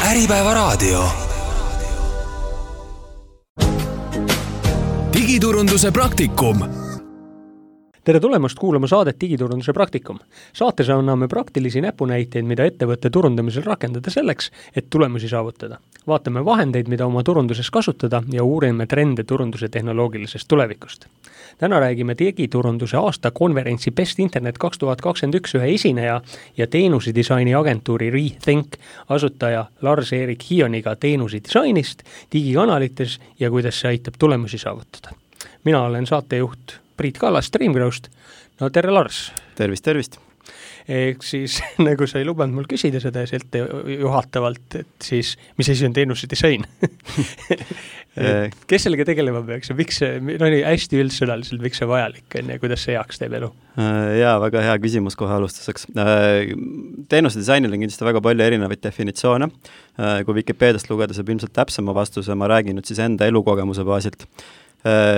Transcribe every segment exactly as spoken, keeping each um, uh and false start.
Äripäeva raadio. Digiturunduse praktikum. Tere tulemast kuulama saadet Digiturunduse praktikum. Saates anname praktilisi näpunäiteid, mida ettevõtte turundamisel rakendada selleks, et tulemusi saavutada. Vaatame vahendeid, mida oma turunduses kasutada ja uurime trende turunduse tehnoloogilisest tulevikust. Täna räägime digiturunduse aasta konverentsi Best Internet kaks tuhat kakskümmend üks ühe esineja ja teenusedisaini agentuuri Rethink asutaja Lars-Erik Hioniga teenusedisainist, digikanalites ja kuidas see aitab tulemusi saavutada. Mina olen saatejuht Priit Kallas Streamgrowst. No tere Lars. Tervist, tervist. Ehk siis, nagu sa ei lubanud mul küsida seda sealt juhatavalt, et siis, mis asi on teenusedisain? Kes sellega tegelema peaks ja miks see, no nii hästi üldsõnaliselt, miks see vajalik on ja kuidas see heaks teeb elu? Jaa, väga hea küsimus kohe alustuseks. Teenusedisainil on kindlasti väga palju erinevaid definitsioone. Kui Wikipediast lugeda, saab ilmselt täpsema vastuse, ma räägin nüüd siis enda elukogemuse baasilt.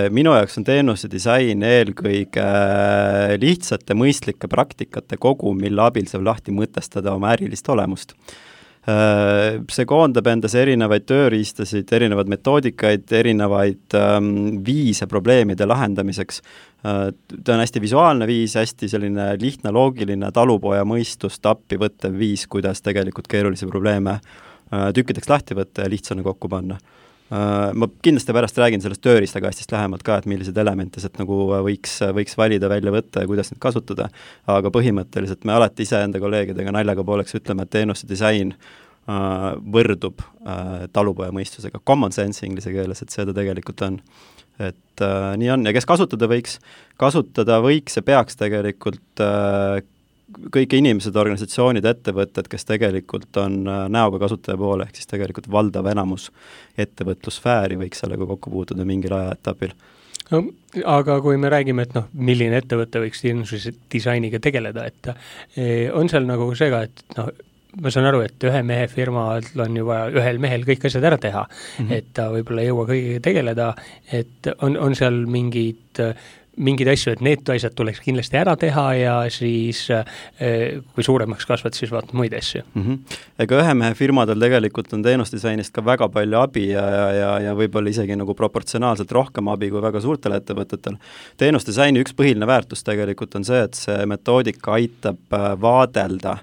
Minu jaoks on teenuse disain eelkõige lihtsate mõistlike praktikate kogu, mille abil saab lahti mõtestada oma ärilist olemust. See koondab endas erinevaid tööriistasid, erinevaid metoodikaid, erinevaid viise probleemide lahendamiseks. Ta on hästi visuaalne viis, hästi selline lihtne, loogiline, talupoja mõistust appi võttev viis, kuidas tegelikult keerulisi probleeme tükkideks lahti võtta ja lihtsana kokku panna. Ma kindlasti pärast räägin sellest tööriistakastist lähemalt ka, et millised elementid nagu võiks, võiks valida, välja võtta ja kuidas neid kasutada, aga põhimõtteliselt me alati ise enda kolleegidega naljaga pooleks ütleme, et teenuse disain võrdub talupoja mõistusega, common sense inglise keeles, et seda tegelikult on. Et nii on, ja kes kasutada võiks? Kasutada võiks ja peaks tegelikult kõik inimesed, organisatsioonid, ettevõtted, kes tegelikult on näoga kasutaja poole, ehk siis tegelikult valdav enamus ettevõtlussfääri võiks sellega kokku puutuda mingil ajaetapil. No, aga kui me räägime, et noh, milline ettevõte võiks teenusdisainiga tegeleda, et on seal nagu see ka, et noh, ma saan aru, et ühe mehe firmal on ju vaja ühel mehel kõik asjad ära teha, mm-hmm. et ta võib-olla ei jõua kõigiga tegeleda, et on, on seal mingid mingid asju, et need asjad tuleks kindlasti ära teha ja siis kui suuremaks kasvad, siis vaatad muid asju. Mm-hmm. Ega ühe mehe firmadel tegelikult on teenusdisainist ka väga palju abi ja, ja, ja, ja võib-olla isegi nagu proportsionaalselt rohkem abi kui väga suurtel ettevõtetel. Teenusdisaini üks põhiline väärtus tegelikult on see, et see metoodika aitab vaadelda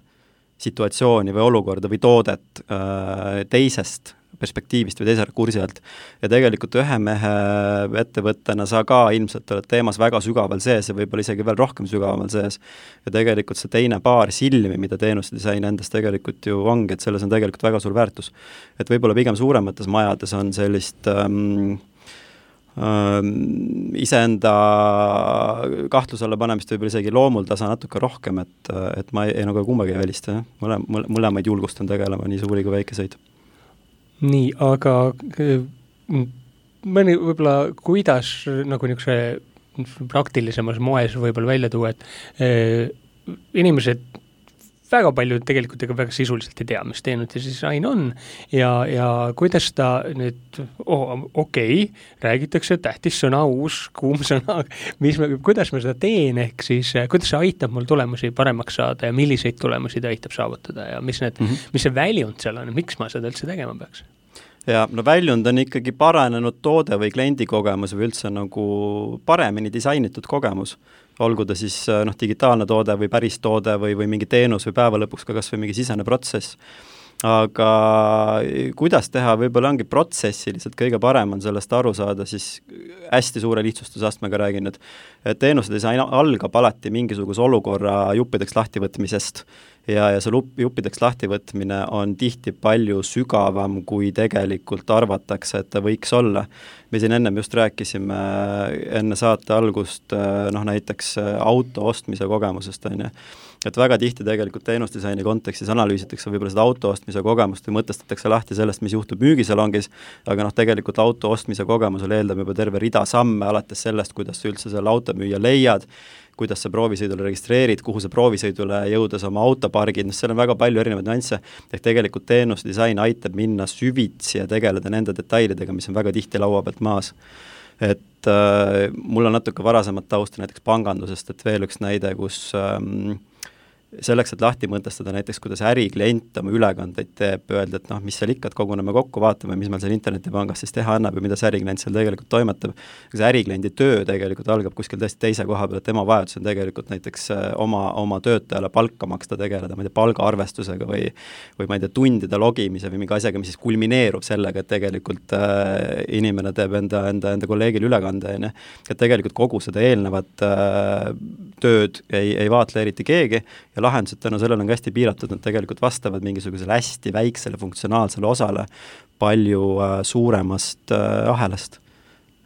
situatsiooni või olukorda või toodet teisest perspektiivist või teise kursi alt. Ja tegelikult ühe mehe ettevõttena sa ka ilmselt oled teemas väga sügaval sees ja võib-olla isegi veel rohkem sügaval sees. Ja tegelikult see teine paar silmi, mida teenusedisain endas tegelikult ju ongi, et selles on tegelikult väga suur väärtus. Et võib-olla pigem suuremates majades on sellist ähm, ähm, iseenda kahtluse alla panemist võib-olla isegi loomul tasa natuke rohkem, et, et ma ei, ei nagu kumbagi ei välista. Mõle, mõlemaid julgustan tegelema nii suuri kui väikeseid. Nii, aga mõni võib-olla kuidas nagu niisuguse praktilisemas moes võib-olla välja tuua, et eh, inimesed väga palju tegelikult ega väga sisuliselt ei tea, mis teenusedisain on ja, ja kuidas ta nüüd, oh, okei, okay, räägitakse tähtis sõna, uus, kuum sõna, mis me, kuidas ma seda teen, ehk siis kuidas see aitab mul tulemusi paremaks saada ja milliseid tulemusi ta aitab saavutada ja mis, need, mm-hmm. mis see väljund seal on, miks ma seda üldse tegema peaks? Ja no väljund on ikkagi paranenud toode või kliendikogemus või üldse nagu paremini disainitud kogemus. Olgu ta siis noh, digitaalne toode või päris toode või, või mingi teenus või päeva lõpuks ka kas või mingi sisene protsess. Aga kuidas teha, võib-olla ongi protsessi lihtsalt kõige parem on sellest aru saada, siis hästi suure lihtsustusastmega räägin, et teenusedisain algab alati mingisuguse olukorra juppideks lahtivõtmisest ja, ja see juppideks lahtivõtmine on tihti palju sügavam, kui tegelikult arvatakse, et ta võiks olla. Me siin ennem just rääkisime enne saate algust noh, näiteks auto ostmise kogemusest, on ju. Et väga tihti tegelikult teenusdisaini kontekstis analüüsitakse võib-olla seda auto ostmise kogemust või mõtestatakse lahti sellest, mis juhtub müügisalongis, aga noh, tegelikult auto ostmise kogemusel eeldab juba terve rida samme alates sellest, kuidas sa üldse selle auto müüa leiad, kuidas sa proovisõidule registreerid, kuhu sa proovisõidule jõudes oma autopargid, no seal on väga palju erinevaid nüansse, ehk tegelikult teenusdisain aitab minna süvitsi ja tegeleda nende detailidega, mis on väga tihti laua pealt maas. Et äh, mul on natuke varasemat tausta näiteks pangandusest, et veel üks näide, kus ähm, selleks, et lahti mõtestada näiteks, kuidas äriklient oma ülekandeid teeb, öelda, et noh, mis seal ikka, et koguneme kokku, vaatame, mis meil seal internetipangas siis teha annab ja mida see äriklient seal tegelikult toimetab. See ärikliendi töö tegelikult algab kuskil tõesti teise koha peal, et tema vajadus on tegelikult näiteks oma, oma töötajale palka maksta tegeleda, ma ei tea, palgaarvestusega või, või ma ei tea, tundide logimise või mingi asjaga, mis siis kulmineerub sellega, et tegelikult äh, inimene teeb enda, enda, enda kolleegile ülekande, on, et tegelikult kogu seda eelnevat äh, tööd ei, ei vaatle eriti keegi ja lahendused tänu sellele on hästi piiratud, nad tegelikult vastavad mingisugusele hästi väiksele funktsionaalsele osale palju äh, suuremast äh, ahelast.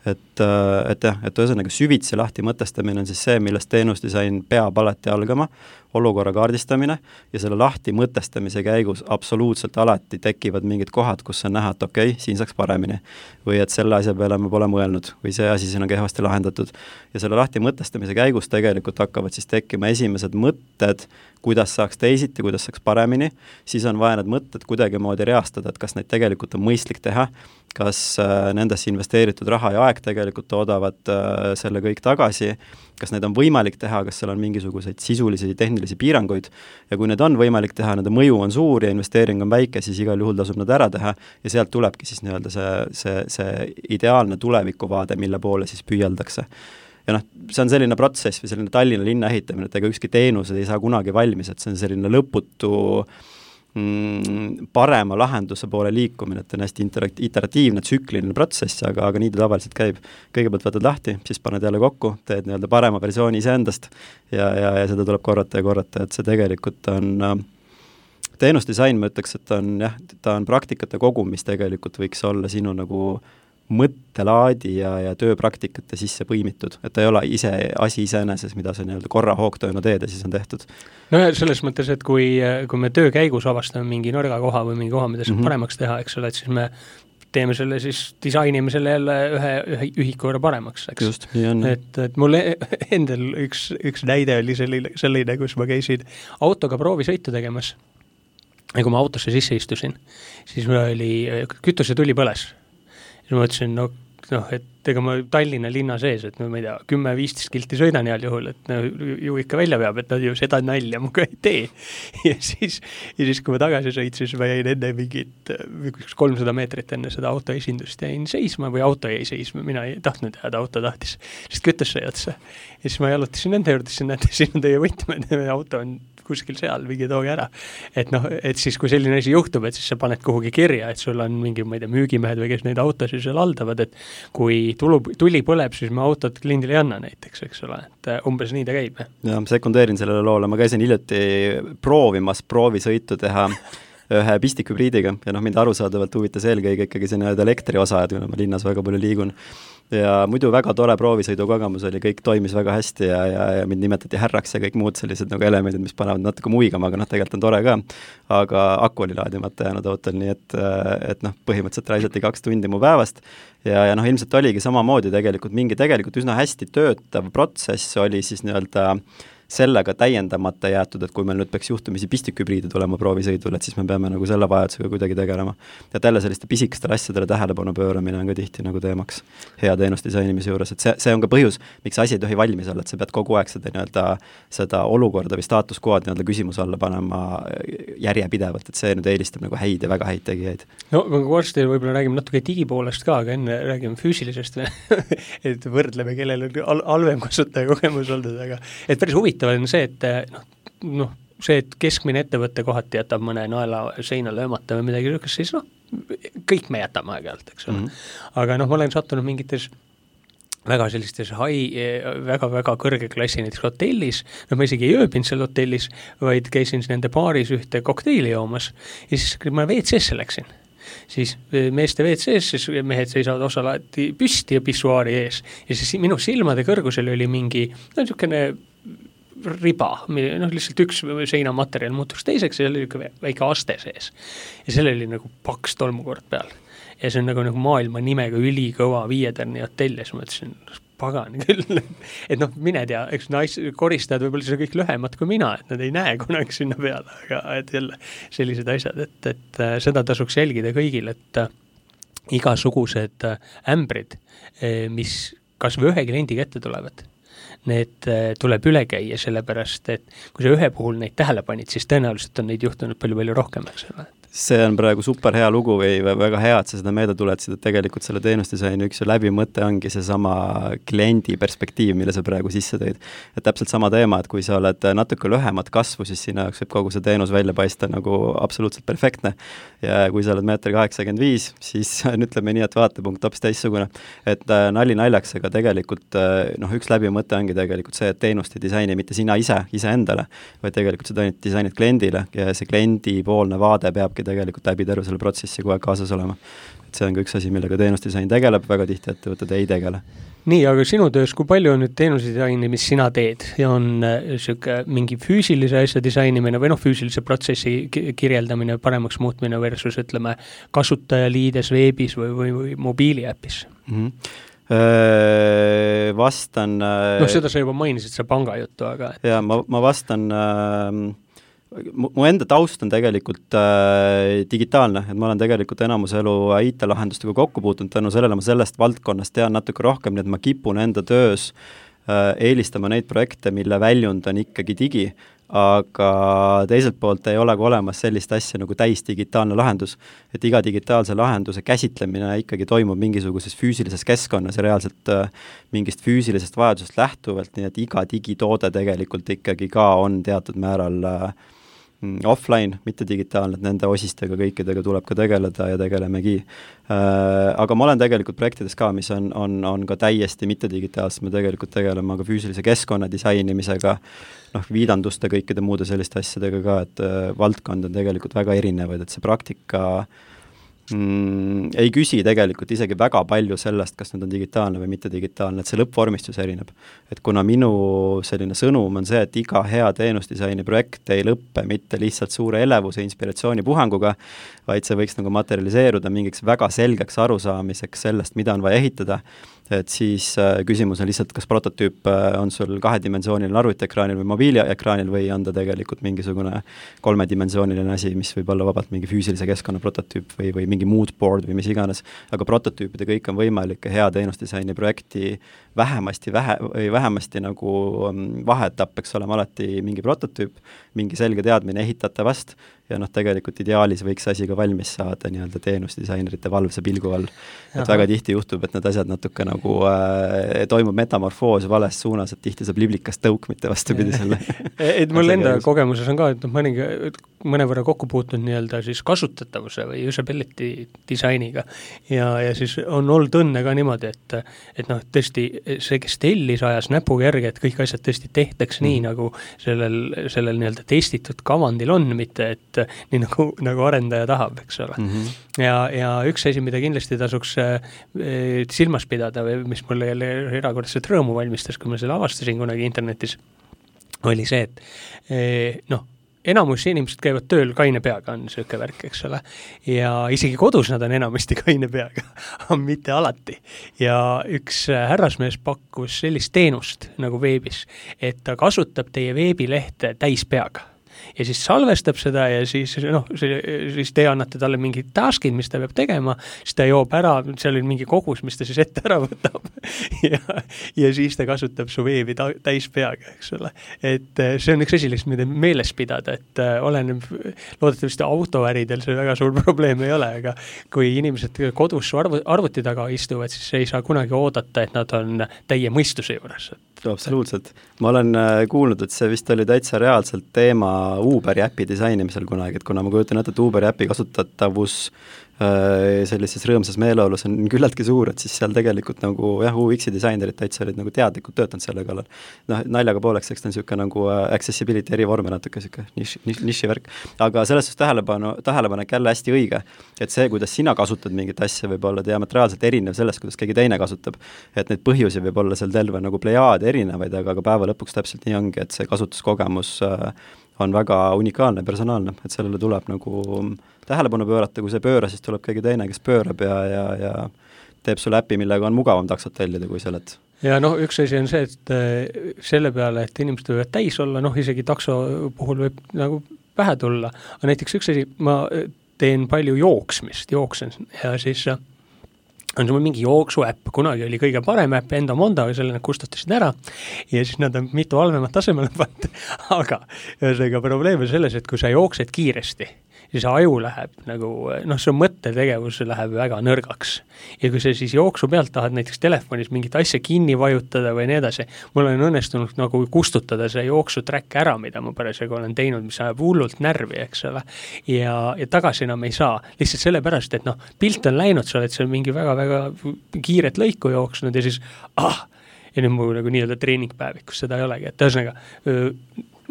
Et, äh, et jah, et ühesõnaga süvitsi lahti mõtestamine on siis see, millest teenusdisain peab alati algama, olukorra kaardistamine ja selle lahti mõtestamise käigus absoluutselt alati tekivad mingid kohad, kus on näha, et okei, okay, siin saaks paremini või et selle asja peale me pole mõelnud või see asi siin on kehvasti lahendatud. Ja selle lahti mõtestamise käigus tegelikult hakkavad siis tekkima esimesed mõtted, kuidas saaks teisiti, kuidas saaks paremini, siis on vaja need mõtted kuidagi moodi reastada, et kas neid tegelikult on mõistlik teha, kas äh, nendesse investeeritud raha ja aeg tegelikult toodavad äh, selle kõik tagasi, kas need on võimalik teha, kas seal on mingisuguseid sisulisi tehnilisi piiranguid ja kui need on võimalik teha, nende mõju on suur ja investeering on väike, siis igal juhul tasub nad ära teha ja sealt tulebki siis nii-öelda see, see, see ideaalne tulevikuvaade, mille poole siis püüeldakse. Ja noh, see on selline protsess või selline Tallinna linna ehitamine, et ega ükski teenused ei saa kunagi valmis, et see on selline lõputu mm, parema lahenduse poole liikumine, et on hästi interakt- iteratiivne, tsükliline protsess, aga, aga nii ta tavaliselt käib. Kõigepealt võtad lahti, siis paned jälle kokku, teed nii-öelda parema versiooni iseendast ja, ja, ja seda tuleb korrata ja korrata, et see tegelikult on äh, teenusdisain, ma ütleks, et on, jah, ta on praktikate kogum, mis tegelikult võiks olla sinu nagu mõttelaadi ja, ja tööpraktikate sisse põimitud, et ta ei ole ise asi iseeneses, mida sa nii-öelda korra hoogtööna teed ja siis on tehtud. No selles mõttes, et kui, kui me töö käigus avastame mingi nõrga koha või mingi koha, mida saab mm-hmm. paremaks teha, eks ole, et siis me teeme selle siis, disainime selle jälle ühe, ühe ühiku võrra paremaks, eks. Just, nii on. Et, et mul endal üks, üks näide oli selline, selline, kus ma käisin autoga proovisõitu tegemas ja kui ma autosse sisse istusin, siis mul oli, kütuse tuli põles. Ja ma ütlesin, no, noh, et ega ma Tallinna linna sees, et no ma ei tea, kümme viisteist kilti sõidan heal juhul, et no, ju ikka välja peab, et nad ju seda nalja muga ei tee. Ja siis, ja siis kui ma tagasi sõid, siis ma jäin enne mingit kolmsada meetrit enne seda auto esindust jäin seisma või auto jäi seisma, mina ei tahtnud jääda, auto tahtis, sest kütus sai otsa. Ja siis ma jalutasin nende juurde, siis näete, siin on teie võtmed, auto on kuskil seal, mingi tooge ära. Et noh, et siis kui selline asi juhtub, et siis sa paned kuhugi kirja, et sul on mingi, ma ei tea, müügimehed või kes neid autosid seal haldavad, et kui tulu, tuli põleb, siis me autot kliendile ei anna näiteks, eks ole, et umbes nii ta käib. Ja sekundeerin sellele loole, ma käisin hiljuti proovimas proovisõitu teha ühe pistikhübriidiga ja noh, mind arusaadavalt huvitas eelkõige ikkagi see nii-öelda elektriosa, et ma linnas väga palju liigun. Ja muidu väga tore proovisõidu kogemus oli, kõik toimis väga hästi ja, ja, ja mind nimetati härraks ja kõik muud sellised nagu elemendid, mis panevad natuke muigama, aga noh, tegelikult on tore ka. Aga aku oli laadimata jäänud autol, nii et, et noh, põhimõtteliselt raisati kaks tundi mu päevast ja, ja noh, ilmselt oligi samamoodi tegelikult mingi tegelikult üsna hästi töötav protsess oli siis nii-öelda sellega täiendamata jäetud, et kui meil nüüd peaks juhtumisi pistikhübriidi tulema proovisõidul, et siis me peame nagu selle vajadusega kuidagi tegelema. Ja tälle selliste pisikestele asjadele tähelepanu pööramine on ka tihti nagu teemaks hea teenusdisainimise juures, et see, see on ka põhjus, miks asi ei tohi valmis olla, et sa pead kogu aeg seda, nii-öelda, seda olukorda või staatuskood nii-öelda küsimuse alla panema järjepidevalt, et see nüüd eelistab nagu häid ja väga häid tegijaid. No varsti võib-olla räägime natuke digipoolest ka, aga enne räägime füüsilisest et võrdleme, kellel on halvem kasutaja kogemus olnud, aga et päris huvitav on see, et noh, noh, see, et keskmine ettevõtte kohati jätab mõne naela seina löömata või midagi niisugust, siis noh, kõik me jätame aeg-ajalt, eks ole. Mm-hmm. Aga noh, ma olen sattunud mingites väga sellistes hai, väga-väga kõrge klassi näiteks hotellis, no ma isegi ei ööbinud seal hotellis, vaid käisin nende baaris ühte kokteili joomas ja siis kui ma V C-sse läksin, siis meeste V C-s, siis mehed seisavad osalati püsti ja pissuaari ees ja siis minu silmade kõrgusel oli mingi, no niisugune riba, noh lihtsalt üks seinamaterjal muutus teiseks ja seal oli väike aste sees ja seal oli nagu paks tolmukord peal ja see on nagu, nagu maailma nimega ülikõva viietärni hotell ja siis ma ütlesin, pagan küll, et noh, mine tea, eks nais, koristajad võib-olla see kõik lühemad kui mina, et nad ei näe kunagi sinna peale, aga et jälle sellised asjad, et, et seda tasuks jälgida kõigil, et igasugused ämbrid, mis kas või ühe kliendiga ette tulevad, need tuleb üle käia, sellepärast, et kui sa ühe puhul neid tähele panid, siis tõenäoliselt on neid juhtunud palju-palju rohkem, eks ole. See on praegu super hea lugu või väga hea, et sa seda meelde tuletsid, et tegelikult selle teenusdisaini üks läbimõte ongi see sama kliendi perspektiiv, mille sa praegu sisse tõid. Et täpselt sama teema, et kui sa oled natuke lühemat kasvu, siis sina jaoks võib kogu see teenus välja paista nagu absoluutselt perfektne. Ja kui sa oled meeter kaheksakümmend viis, siis ütleme nii, et vaatepunkt hoopis teistsugune. Et nali naljaks, aga tegelikult noh, üks läbimõte ongi tegelikult see, et teenuste disaini mitte sina ise, ise endale, vaid tegelikult seda disainid kliendile ja see kliendi poolne vaade peabki tegelikult läbi terve selle protsessi kogu aeg kaasas olema. Et see on ka üks asi, millega teenusdisain tegeleb, väga tihti ettevõtted ei tegele. Nii, aga sinu töös, kui palju on nüüd teenusdisaini, mis sina teed? Ja on süke, mingi füüsilise asja disainimine või noh, füüsilise protsessi kirjeldamine, paremaks muutmine versus ütleme kasutajaliides veebis või, või, või mobiiliäpis? Mm-hmm. Öö, vastan... No seda sa juba mainisid, see panga juttu, aga... Et... Ja, ma, ma vastan... Öö, mu enda taust on tegelikult äh, digitaalne, et ma olen tegelikult enamus elu I T-lahendustega kokku puutunud, tänu sellele ma sellest valdkonnast tean natuke rohkem, nii et ma kipun enda töös äh, eelistama neid projekte, mille väljund on ikkagi digi, aga teiselt poolt ei ole ka olemas sellist asja nagu täis digitaalne lahendus, et iga digitaalse lahenduse käsitlemine ikkagi toimub mingisuguses füüsilises keskkonnas ja reaalselt äh, mingist füüsilisest vajadusest lähtuvalt, nii et iga digitoode tegelikult ikkagi ka on teatud määral äh, offline, mitte digitaalne, et nende osistega kõikidega tuleb ka tegeleda ja tegelemegi. Äh, aga ma olen tegelikult projektides ka, mis on, on, on ka täiesti mitte digitaalsed, me tegelikult tegeleme ka füüsilise keskkonna disainimisega, noh, viidanduste kõikide muude selliste asjadega ka, et äh, valdkond on tegelikult väga erinevaid, et see praktika mm, ei küsi tegelikult isegi väga palju sellest, kas nüüd on digitaalne või mitte digitaalne, et see lõppvormistus erineb. Et kuna minu selline sõnum on see, et iga hea teenusdisaini projekt ei lõppe mitte lihtsalt suure elevuse inspiratsiooni puhanguga, vaid see võiks nagu materialiseeruda mingiks väga selgeks arusaamiseks sellest, mida on vaja ehitada, et siis äh, küsimus on lihtsalt, kas prototüüp äh, on sul kahedimensiooniline arvutiekraanil või mobiiliekraanil või on ta tegelikult mingisugune kolmedimensiooniline asi, mis võib olla vabalt mingi füüsilise keskkonna prototüüp või, või mingi mood board või mis iganes, aga prototüüpide kõik on võimalik ja hea teenusdisaini projekti vähemasti, vähe, või vähemasti nagu vaheetapp peaks olema alati mingi prototüüp, mingi selge teadmine ehitatavast ja noh, tegelikult ideaalis võiks asi ka valmis saada nii-öelda teenusdisainerite valvse pilgu all. Et Aha. väga tihti juhtub, et need asjad natuke nagu äh, toimub metamorfoos vales suunas, et tihti saab liblikast tõuk, mitte vastupidi selle. et mul enda kogemuses on ka, et noh, mõningi mõnevõrra kokku puutunud nii-öelda siis kasutatavuse või usability disainiga ja, ja siis on olnud õnne ka niimoodi, et, et noh, tõesti see, kes tellis ajas näpuga järgi, et kõik asjad tõesti tehtaks mm. nii, nagu sellel, sellel nii-öelda testitud kavandil on, mitte et nii nagu, nagu arendaja tahab, eks ole. Mm-hmm. Ja, ja üks asi, mida kindlasti tasuks äh, silmas pidada või mis mulle jälle erakordselt rõõmu valmistas, kui ma selle avastasin kunagi internetis, oli see, et äh, noh, enamus inimesed käivad tööl kaine peaga, on sööke värk, eks ole. Ja isegi kodus nad on enamasti kaine peaga, aga mitte alati. Ja üks härrasmees pakkus sellist teenust nagu veebis, et ta kasutab teie veebilehte täis peaga. Ja siis salvestab seda ja siis, noh, siis te annate talle mingid taskid, mis ta peab tegema, siis ta joob ära, seal on mingi kogus, mis ta siis ette ära võtab ja, ja siis ta kasutab su veebi ta, täis peaga, eks ole. Et see on üks asi, mida meeles pidada, et oleneb, loodetavasti autoäridel see väga suur probleem ei ole, aga kui inimesed kodus arvu, arvuti taga istuvad, siis ei saa kunagi oodata, et nad on täie mõistuse juures. Absoluutselt. Ma olen kuulnud, et see vist oli täitsa reaalselt teema Uberi äpi disainimisel kunagi, et kuna ma kujutan ette, et Uberi äpi kasutatavus sellises rõõmsas meeleolus on küllaltki suur, et siis seal tegelikult nagu jah, U X-i disainerid täitsa olid nagu teadlikult töötanud selle kallal. Noh, naljaga pooleks, eks ta on niisugune nagu accessibility erivorme natuke niisugune niši, niši värk. Aga selles suhtes tähelepanu, tähelepanek jälle hästi õige, et see, kuidas sina kasutad mingit asja, võib olla diametraalselt erinev sellest, kuidas keegi teine kasutab. Et neid põhjusi võib olla seal terve nagu plejaad erinevaid, aga ka päeva lõpuks täpselt nii ongi, et see kasutuskogemus on väga unikaalne, personaalne, et sellele tuleb nagu tähelepanu pöörata, kui see pööra, siis tuleb keegi teine, kes pöörab ja, ja, ja teeb sulle äppi, millega on mugavam taksot tellida, kui sa oled. Ja noh, üks asi on see, et selle peale, et inimesed võivad täis olla, noh, isegi takso puhul võib nagu pähe tulla, aga näiteks üks asi, ma teen palju jooksmist, jooksen ja siis on sul mingi jooksuäpp, kunagi oli kõige parem äpp Endo Mondo, aga selle nad kustutasid ära ja siis nad on mitu halvemat tasemele pannud, aga ühesõnaga probleem on selles, et kui sa jooksed kiiresti, siis aju läheb nagu, noh, see mõttetegevus läheb väga nõrgaks. Ja kui sa siis jooksu pealt tahad näiteks telefonis mingit asja kinni vajutada või nii edasi, mul on õnnestunud nagu kustutada see jooksutrack ära, mida ma parasjagu olen teinud, mis ajab hullult närvi, eks ole. Ja, ja tagasi enam ei saa. Lihtsalt sellepärast, et noh, pilt on läinud, sa oled seal mingi väga-väga kiiret lõiku jooksnud ja siis ah, ja nüüd mul nagu nii-öelda treeningpäevik, kus seda ei olegi. Et ühesõnaga,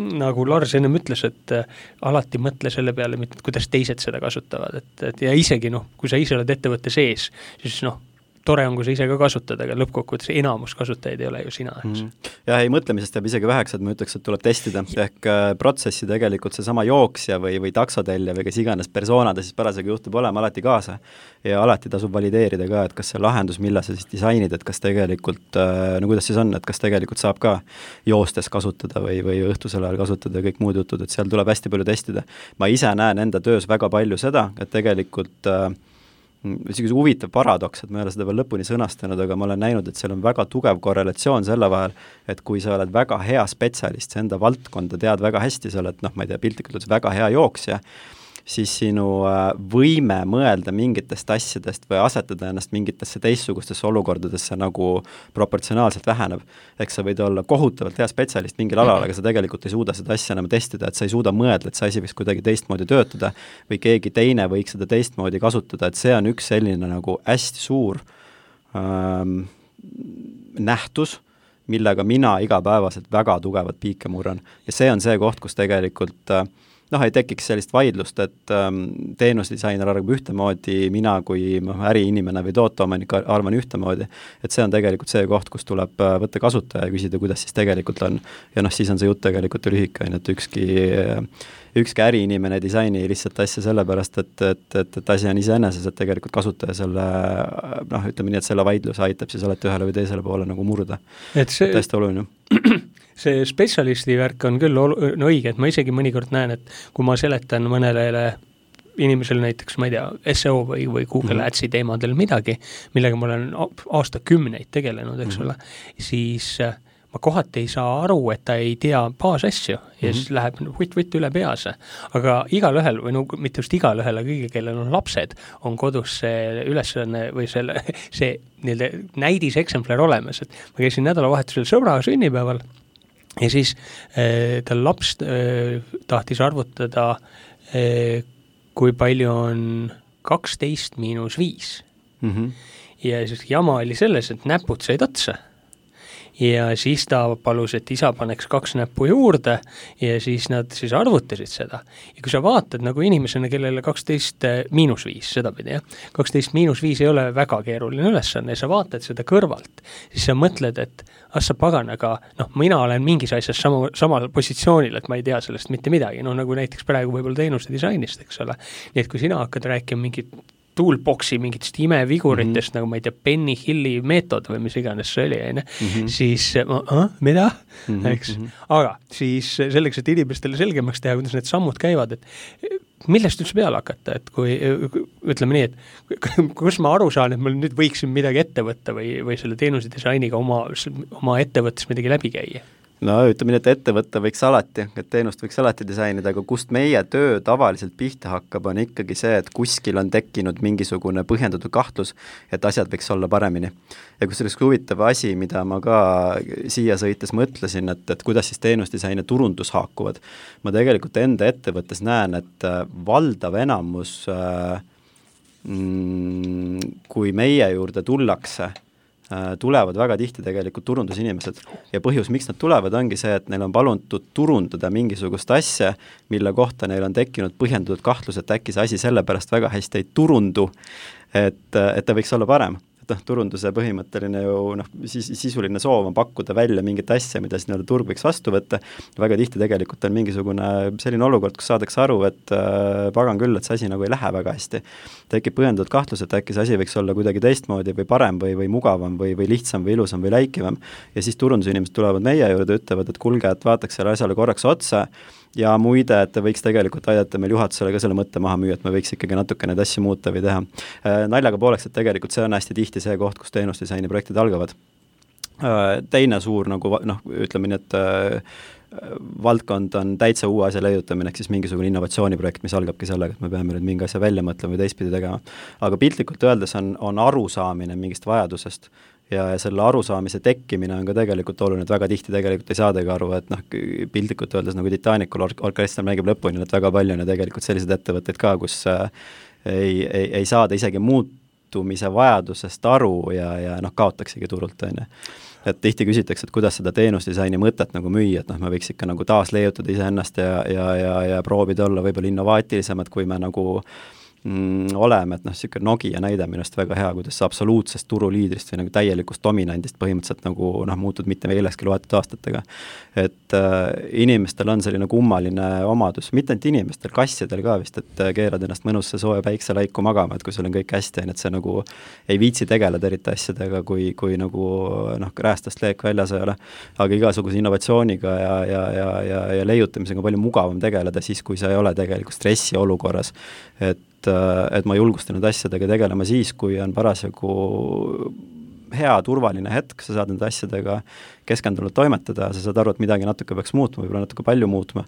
nagu Lars ennem ütles, et äh, alati mõtle selle peale, kuidas teised seda kasutavad, et, et ja isegi noh, kui sa ise oled ettevõtte sees, siis noh, tore on, kui sa ise ka kasutad, aga lõppkokkuvõttes enamus kasutajaid ei ole ju sina. Mm. Jah, ei mõtlemisest jääb isegi väheks, et ma ütleks, et tuleb testida. Ehk äh, protsessi tegelikult see sama jooksja või, või taksotellja või kes iganes persoonade siis parasjagu juhtub olema alati kaasa. Ja alati tasub valideerida ka, et kas see lahendus, mille sa siis disainid, et kas tegelikult, äh, no kuidas siis on, et kas tegelikult saab ka joostes kasutada või, või õhtusel ajal kasutada ja kõik muud jutud, et seal tuleb hästi palju testida. Ma ise näen enda töös väga palju seda, et tegelikult äh, isegi huvitav paradoks, et ma ei ole seda veel lõpuni sõnastanud, aga ma olen näinud, et seal on väga tugev korrelatsioon selle vahel, et kui sa oled väga hea spetsialist, sa enda valdkonda tead väga hästi, sa oled, noh, ma ei tea, piltlikult väga hea jooksja, siis sinu võime mõelda mingitest asjadest või asetada ennast mingitesse teistsugustesse olukordadesse nagu proportsionaalselt väheneb. Eks sa võid olla kohutavalt hea spetsialist mingil alal, aga sa tegelikult ei suuda seda asja enam testida, et sa ei suuda mõelda, et see asi võiks kuidagi teistmoodi töötada või keegi teine võiks seda teistmoodi kasutada, et see on üks selline nagu hästi suur ähm, nähtus, millega mina igapäevaselt väga tugevat piike murran. Ja see on see koht, kus tegelikult äh, noh, ei tekiks sellist vaidlust, et ähm, teenusdisainer arvab ühtemoodi, mina kui äriinimene või tooteomanik arvan ühtemoodi, et see on tegelikult see koht, kus tuleb võtta kasutaja ja küsida, kuidas siis tegelikult on. Ja noh, siis on see jutt tegelikult lühike, et ükski, ükski äriinimene disaini lihtsalt asja sellepärast, et, et, et, et asi on iseeneses, et tegelikult kasutaja selle, noh, ütleme nii, et selle vaidluse aitab siis alati ühele või teisele poole nagu murda. Et see... Täiesti oluline. See spetsialisti värk on küll ol- no õige, et ma isegi mõnikord näen, et kui ma seletan mõnele inimesele näiteks, ma ei tea, S E O või, või Google mm-hmm. Adsi teemadel midagi, millega ma olen aastakümneid tegelenud, eks mm-hmm. ole, siis ma kohati ei saa aru, et ta ei tea baasasju ja mm-hmm. siis läheb võtt-võtt üle pease. Aga igal ühel, või no mitte just igal ühel, aga kõige, kellel on lapsed, on kodus see ülesanne või selle, see nii-öelda näidiseksemplar olemas, et ma käisin nädalavahetusel sõbra sünnipäeval ja siis äh, tal laps äh, tahtis arvutada, äh, kui palju on kaksteist miinus viis. Mm-hmm. Ja siis jama oli selles, et näpud said otsa. Ja siis ta palus, et isa paneks kaks näppu juurde ja siis nad siis arvutasid seda. Ja kui sa vaatad nagu inimesena, kellele kaksteist miinus viis, seda pidi, jah, kaksteist miinus viis ei ole väga keeruline ülesanne ja sa vaatad seda kõrvalt, siis sa mõtled, et ah sa pagan, aga noh, mina olen mingis asjas sama, samal positsioonil, et ma ei tea sellest mitte midagi, no nagu näiteks praegu võib-olla teenuste disainist, eks ole. Nii et kui sina hakkad rääkima mingit toolboxi mingitest imeviguritest, mm-hmm. nagu ma ei tea, Penny Hilli meetod või mis iganes see oli, mm-hmm. siis ah, mida? Mm-hmm. Eks? Aga siis selleks, et inimestele selgemaks teha, kuidas need sammud käivad, et millest üldse peale hakata, et kui ütleme nii, et kus ma aru saan, et ma nüüd võiksin midagi ette võtta või, või selle teenuse disainiga oma, oma ettevõttes midagi läbi käia? No ütleme nii, et ettevõtte võiks alati, et teenust võiks alati disainida, aga kust meie töö tavaliselt pihta hakkab, on ikkagi see, et kuskil on tekkinud mingisugune põhjendatud kahtlus, et asjad võiks olla paremini. Ja kus selleks huvitav asi, mida ma ka siia sõites mõtlesin, et, et kuidas siis teenusdisain ja turundus haakuvad. Ma tegelikult enda ettevõttes näen, et valdav enamus, kui meie juurde tullakse, tulevad väga tihti tegelikult turundusinimesed ja põhjus, miks nad tulevad, ongi see, et neil on palutud turundada mingisugust asja, mille kohta neil on tekkinud põhjendatud kahtlus, et äkki see asi sellepärast väga hästi ei turundu, et, et ta võiks olla parem. Et noh, turunduse põhimõtteline ju noh, sis, sisuline soov on pakkuda välja mingit asja, mida siis nii-öelda turg võiks vastu võtta. Väga tihti tegelikult on mingisugune selline olukord, kus saadakse aru, et äh, pagan küll, et see asi nagu ei lähe väga hästi. Tekib põhjendatud kahtlus, et äkki see asi võiks olla kuidagi teistmoodi või parem või, või mugavam või, või lihtsam või ilusam või läikivam. Ja siis turundusinimesed tulevad meie juurde, ütlevad, et kulge, et vaataks selle asjale korraks otsa ja muide, et ta võiks tegelikult aidata meil juhatusele ka selle mõtte maha müüa, et me võiks ikkagi natuke neid asju muuta või teha. Naljaga pooleks, et tegelikult see on hästi tihti see koht, kus teenusdisaini projektid algavad. Teine suur nagu, noh, ütleme nii, et valdkond on täitsa uue asja leiutamine, ehk siis mingisugune innovatsiooniprojekt, mis algabki sellega, et me peame nüüd mingi asja välja mõtlema või teistpidi tegema. Aga piltlikult öeldes on, on arusaamine mingist vajadusest ja selle arusaamise tekkimine on ka tegelikult oluline, et väga tihti tegelikult ei saadagi aru, et noh, piltlikult öeldes nagu Titanicul or- orkester mängib lõpuni, et väga palju on ja tegelikult sellised ettevõtteid ka, kus äh, ei, ei, ei saada isegi muutumise vajadusest aru ja, ja noh, kaotaksigi turult, on ju. Et tihti küsitakse, et kuidas seda teenusdisaini mõtet nagu müüa, et noh, me võiks ikka nagu taas leiutada iseennast ja, ja, ja, ja proovida olla võib-olla innovaatilisemad, kui me nagu mm, oleme, et noh, niisugune Nokia näide minust väga hea, kuidas sa absoluutsest turuliidrist või nagu täielikust dominandist põhimõtteliselt nagu noh, muutud mitte millekski loetud aastatega. Et äh, inimestel on selline kummaline omadus, mitte ainult inimestel, kassidel ka vist, et keerad ennast mõnusse sooja päikselaiku magama, et kui sul on kõik hästi, et see nagu ei viitsi tegeleda eriti asjadega, kui, kui nagu noh, räästast leek väljas ei ole, aga igasuguse innovatsiooniga ja, ja, ja, ja, ja leiutamisega palju mugavam tegeleda siis, kui sa ei ole tegelikult stressi olukorras, et et ma julgustan need asjadega tegelema siis, kui on parasjagu hea, turvaline hetk, sa saad nende asjadega keskendunult toimetada, sa saad aru, et midagi natuke peaks muutma, võib-olla natuke palju muutma,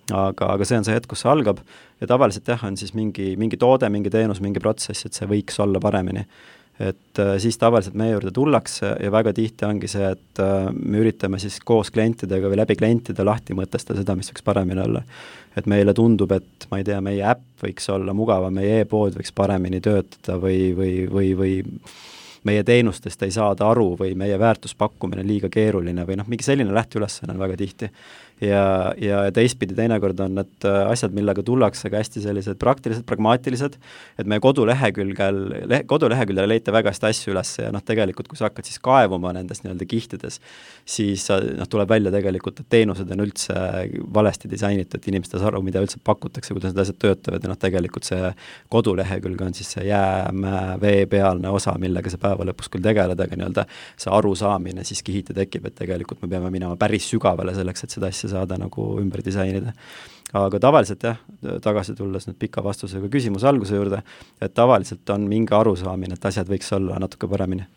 aga, aga see on see hetk, kus see algab ja tavaliselt jah, on siis mingi, mingi toode, mingi teenus, mingi protsess, et see võiks olla paremini. Et äh, siis tavaliselt meie juurde tullakse ja väga tihti ongi see, et äh, me üritame siis koos klientidega või läbi klientide lahti mõtestada seda, mis võiks paremini olla. Et meile tundub, et ma ei tea, meie äpp võiks olla mugavam, meie e-pood võiks paremini töötada või, või, või, või meie teenustest ei saada aru või meie väärtuspakkumine liiga keeruline või noh, mingi selline lähteülesanne on väga tihti. Ja, ja teistpidi teinekord on need asjad, millega tullakse ka hästi sellised praktilised, pragmaatilised, et meie kodulehekülgel, le, koduleheküljel leite väga hästi asju üles ja noh, tegelikult kui sa hakkad siis kaevuma nendes nii-öelda kihtides, siis noh, tuleb välja tegelikult, et teenused on üldse valesti disainitud, et inimesed ei saa aru, mida üldse pakutakse, kuidas need asjad töötavad ja noh, tegelikult see kodulehekülg on siis see jäämäe veepealne osa, millega see päeva lõpus küll tegeleda, aga nii-öelda see arusaamine siis kihiti tekib, et tegelikult me peame minema päris sügavale selleks, et seda asja saada nagu ümber disainida. Aga tavaliselt jah, tagasi tulles nüüd pika vastusega küsimuse alguse juurde, et tavaliselt on mingi arusaamine, et asjad võiks olla natuke paremini.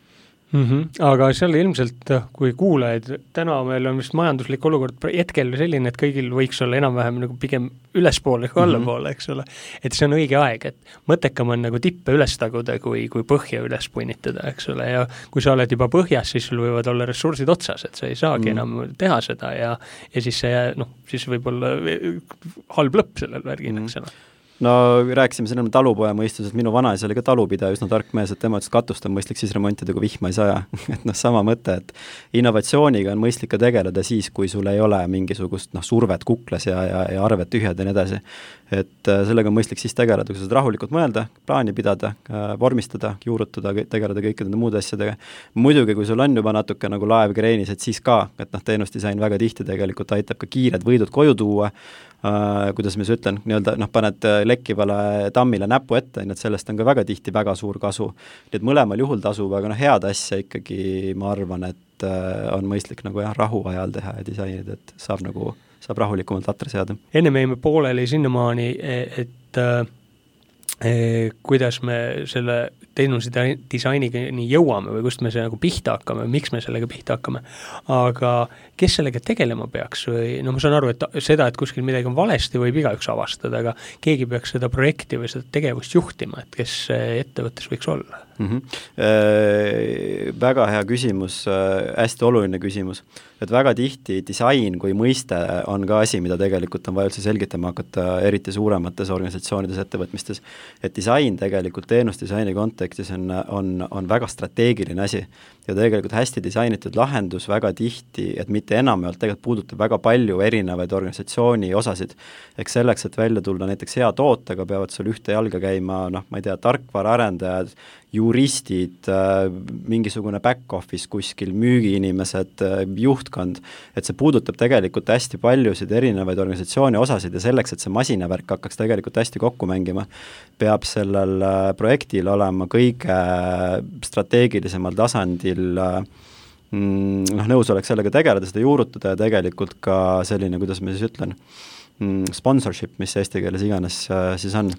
Mm-hmm. Aga seal ilmselt, kui kuulajaid, täna meil on vist majanduslik olukord hetkel selline, et kõigil võiks olla enam-vähem nagu pigem ülespoole kui allapoole, eks ole. Et see on õige aeg, et mõttekam on nagu tippe üles taguda, kui, kui põhja üles punnitada, eks ole, ja kui sa oled juba põhjas, siis sul võivad olla ressursid otsas, et sa ei saagi mm. enam teha seda ja, ja siis see, noh, siis võib olla halb lõpp sellel värgil, eks ole. No rääkisime siin talupoja mõistus, et minu vanaisa oli ka talupidaja, üsna tark mees, et tema ütles, katust on mõistlik siis remontida, kui vihma ei saja. et noh, sama mõte, et innovatsiooniga on mõistlik ka tegeleda siis, kui sul ei ole mingisugust noh, survet kuklas ja, ja, ja arved tühjad ja nii edasi. Et äh, sellega on mõistlik siis tegeleda, kui sa saad rahulikult mõelda, plaani pidada, äh, vormistada, juurutada, tegeleda kõikide nende muude asjadega. Muidugi, kui sul on juba natuke nagu laev kreenis, et siis ka, et noh, teenusdisain väga tihti tegelikult aitab ka kiired võidud koju tuua, Uh, kuidas ma siis ütlen, nii-öelda noh, paned lekkivale tammile näpu ette, nii et sellest on ka väga tihti väga suur kasu. Nii et mõlemal juhul tasub, aga noh, head asja ikkagi ma arvan, et uh, on mõistlik nagu jah, rahu ajal teha ja disainida, et saab nagu, saab rahulikumalt atre seada. Enne me jäime pooleli sinnamaani, et äh, eh, kuidas me selle teenuse disainiga nii jõuame või kust me see nagu pihta hakkame, miks me sellega pihta hakkame, aga kes sellega tegelema peaks või no ma saan aru, et seda, et kuskil midagi on valesti, võib igaüks avastada, aga keegi peaks seda projekti või seda tegevust juhtima, et kes ettevõttes võiks olla? Mm-hmm. Äh, väga hea küsimus, äh, hästi oluline küsimus, et väga tihti disain kui mõiste on ka asi, mida tegelikult on vaja üldse selgitama hakata, eriti suuremates organisatsioonides, ettevõtmistes, et disain tegelikult teenusdisaini kontekstis on, on, on väga strateegiline asi ja tegelikult hästi disainitud lahendus väga tihti, et mitte enamjaolt tegelikult puudutab väga palju erinevaid organisatsiooni osasid. Eks selleks, et välja tulla näiteks hea tootega, peavad sul ühte jalga käima, noh, ma ei tea, tarkvaraarendajad, juristid, mingisugune back-office kuskil, müügiinimesed, juhtkond, et see puudutab tegelikult hästi paljusid erinevaid organisatsiooni osasid ja selleks, et see masinavärk hakkaks tegelikult hästi kokku mängima, peab sellel projektil olema kõige strateegilisemal tasandil noh, nõus oleks sellega tegeleda, seda juurutada ja tegelikult ka selline, kuidas ma siis ütlen, mm, sponsorship, mis eesti keeles iganes äh, siis on.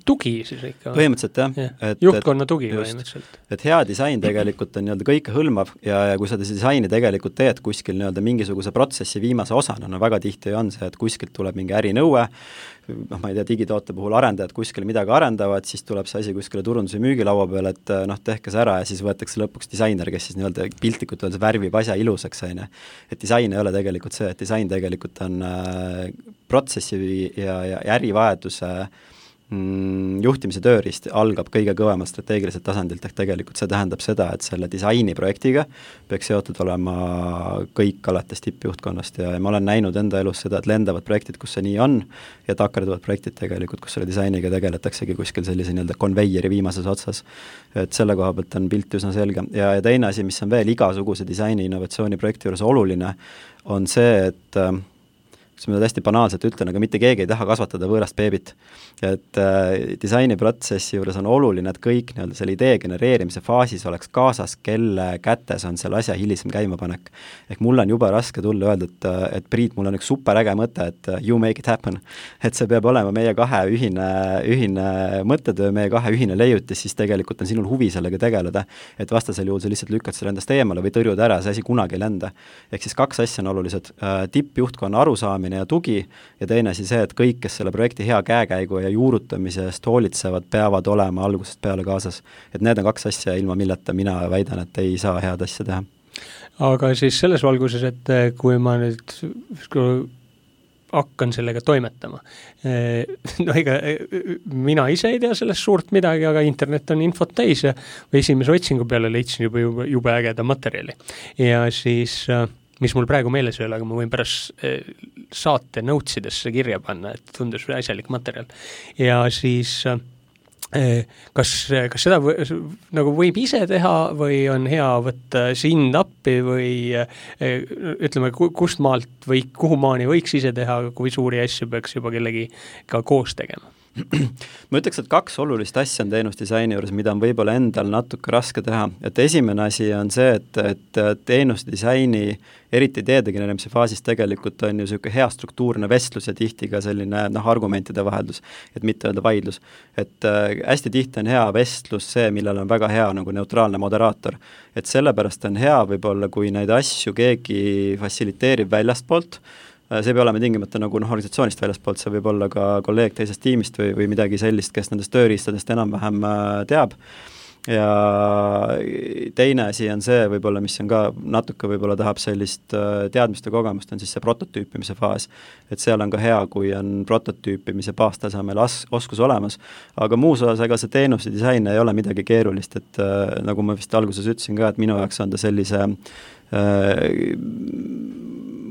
Tugi siis ikka. Põhimõtteliselt jah. Ja. Et, juhtkonna tugi just, põhimõtteliselt. Et hea disain tegelikult on nii-öelda kõike hõlmav ja, ja kui sa disaini tegelikult teed kuskil nii-öelda mingisuguse protsessi viimase osana, no väga tihti on see, et kuskilt tuleb mingi ärinõue, noh, ma ei tea, digitoote puhul arendajad kuskil midagi arendavad, siis tuleb see asi kuskile turunduse müügilaua peale, et noh, tehke see ära ja siis võetakse lõpuks disainer, kes siis nii-öelda piltlikult öeldes värvib asja ilusaks, aine. Et disain ei ole tegelikult see, et disain tegelikult on äh, protsessi ja, ja ärivajaduse mm, juhtimise tööriist algab kõige kõvemal strateegiliselt tasandilt, ehk tegelikult see tähendab seda, et selle disainiprojektiga peaks seotud olema kõik alates tippjuhtkonnast ja ma olen näinud enda elus seda, et lendavad projektid, kus see nii on ja takerduvad projektid tegelikult, kus selle disainiga tegeletaksegi kuskil sellise nii-öelda konveieri viimases otsas. Et selle koha pealt on pilt üsna selge ja, ja teine asi, mis on veel igasuguse disaini innovatsiooni projekti juures oluline, on see, et äh, kus ma hästi banaalselt ütlen, aga mitte keegi ei taha kasvatada võõrast beebit. Et äh, disainiprotsessi juures on oluline, et kõik nii-öelda selle idee genereerimise faasis oleks kaasas, kelle kätes on selle asja hilisem käimapanek. Ehk mul on juba raske tulla öelda, et, et Priit, mul on üks super äge mõte, et you make it happen. Et see peab olema meie kahe ühine, ühine mõttetöö, meie kahe ühine leiutis, siis tegelikult on sinul huvi sellega tegeleda. Et vastasel juhul sa lihtsalt lükkad selle endast eemale või tõrjud ära, see asi kunagi ei lenda. Ehk siis kaks asja on olulised. Tippjuhtkonna arusaamine ja tugi ja teine asi see, et kõik, kes selle projekti hea käekäigu ja juurutamisest hoolitsevad, peavad olema algusest peale kaasas. Et need on kaks asja, ilma milleta mina väidan, et ei saa head asja teha. Aga siis selles valguses, et kui ma nüüd hakkan sellega toimetama, no ega mina ise ei tea sellest suurt midagi, aga internet on infot täis ja või esimese otsingu peale leidsin juba, juba, juba ägeda materjali. Ja siis mis mul praegu meeles ei ole, aga ma võin pärast saate notesidesse kirja panna, et tundus asjalik materjal. Ja siis kas, kas seda või, nagu võib ise teha või on hea võtta sind appi või ütleme, kust maalt või kuhu maani võiks ise teha, kui suuri asju peaks juba kellegi ka koos tegema? Ma ütleks, et kaks olulist asja on teenusdisaini juures, mida on võib-olla endal natuke raske teha. Et esimene asi on see, et, et teenusdisaini, eriti ideede genereerimise faasis tegelikult on ju selline hea struktuurne vestlus ja tihti ka selline noh, argumentide vaheldus, et mitte öelda vaidlus. Et äh, hästi tihti on hea vestlus see, millel on väga hea nagu neutraalne moderaator. Et sellepärast on hea võib-olla, kui neid asju keegi fassiliteerib väljastpoolt, see ei pea olema tingimata nagu noh, organisatsioonist väljaspoolt, see võib olla ka kolleeg teisest tiimist või, või midagi sellist, kes nendest tööriistadest enam-vähem teab. Ja teine asi on see võib-olla, mis on ka natuke võib-olla tahab sellist teadmiste kogemust, on siis see prototüüpimise faas. Et seal on ka hea, kui on prototüüpimise baastasemel as- oskus olemas. Aga muus osas, ega see teenuse disain ei ole midagi keerulist, et nagu ma vist alguses ütlesin ka, et minu jaoks on ta sellise äh,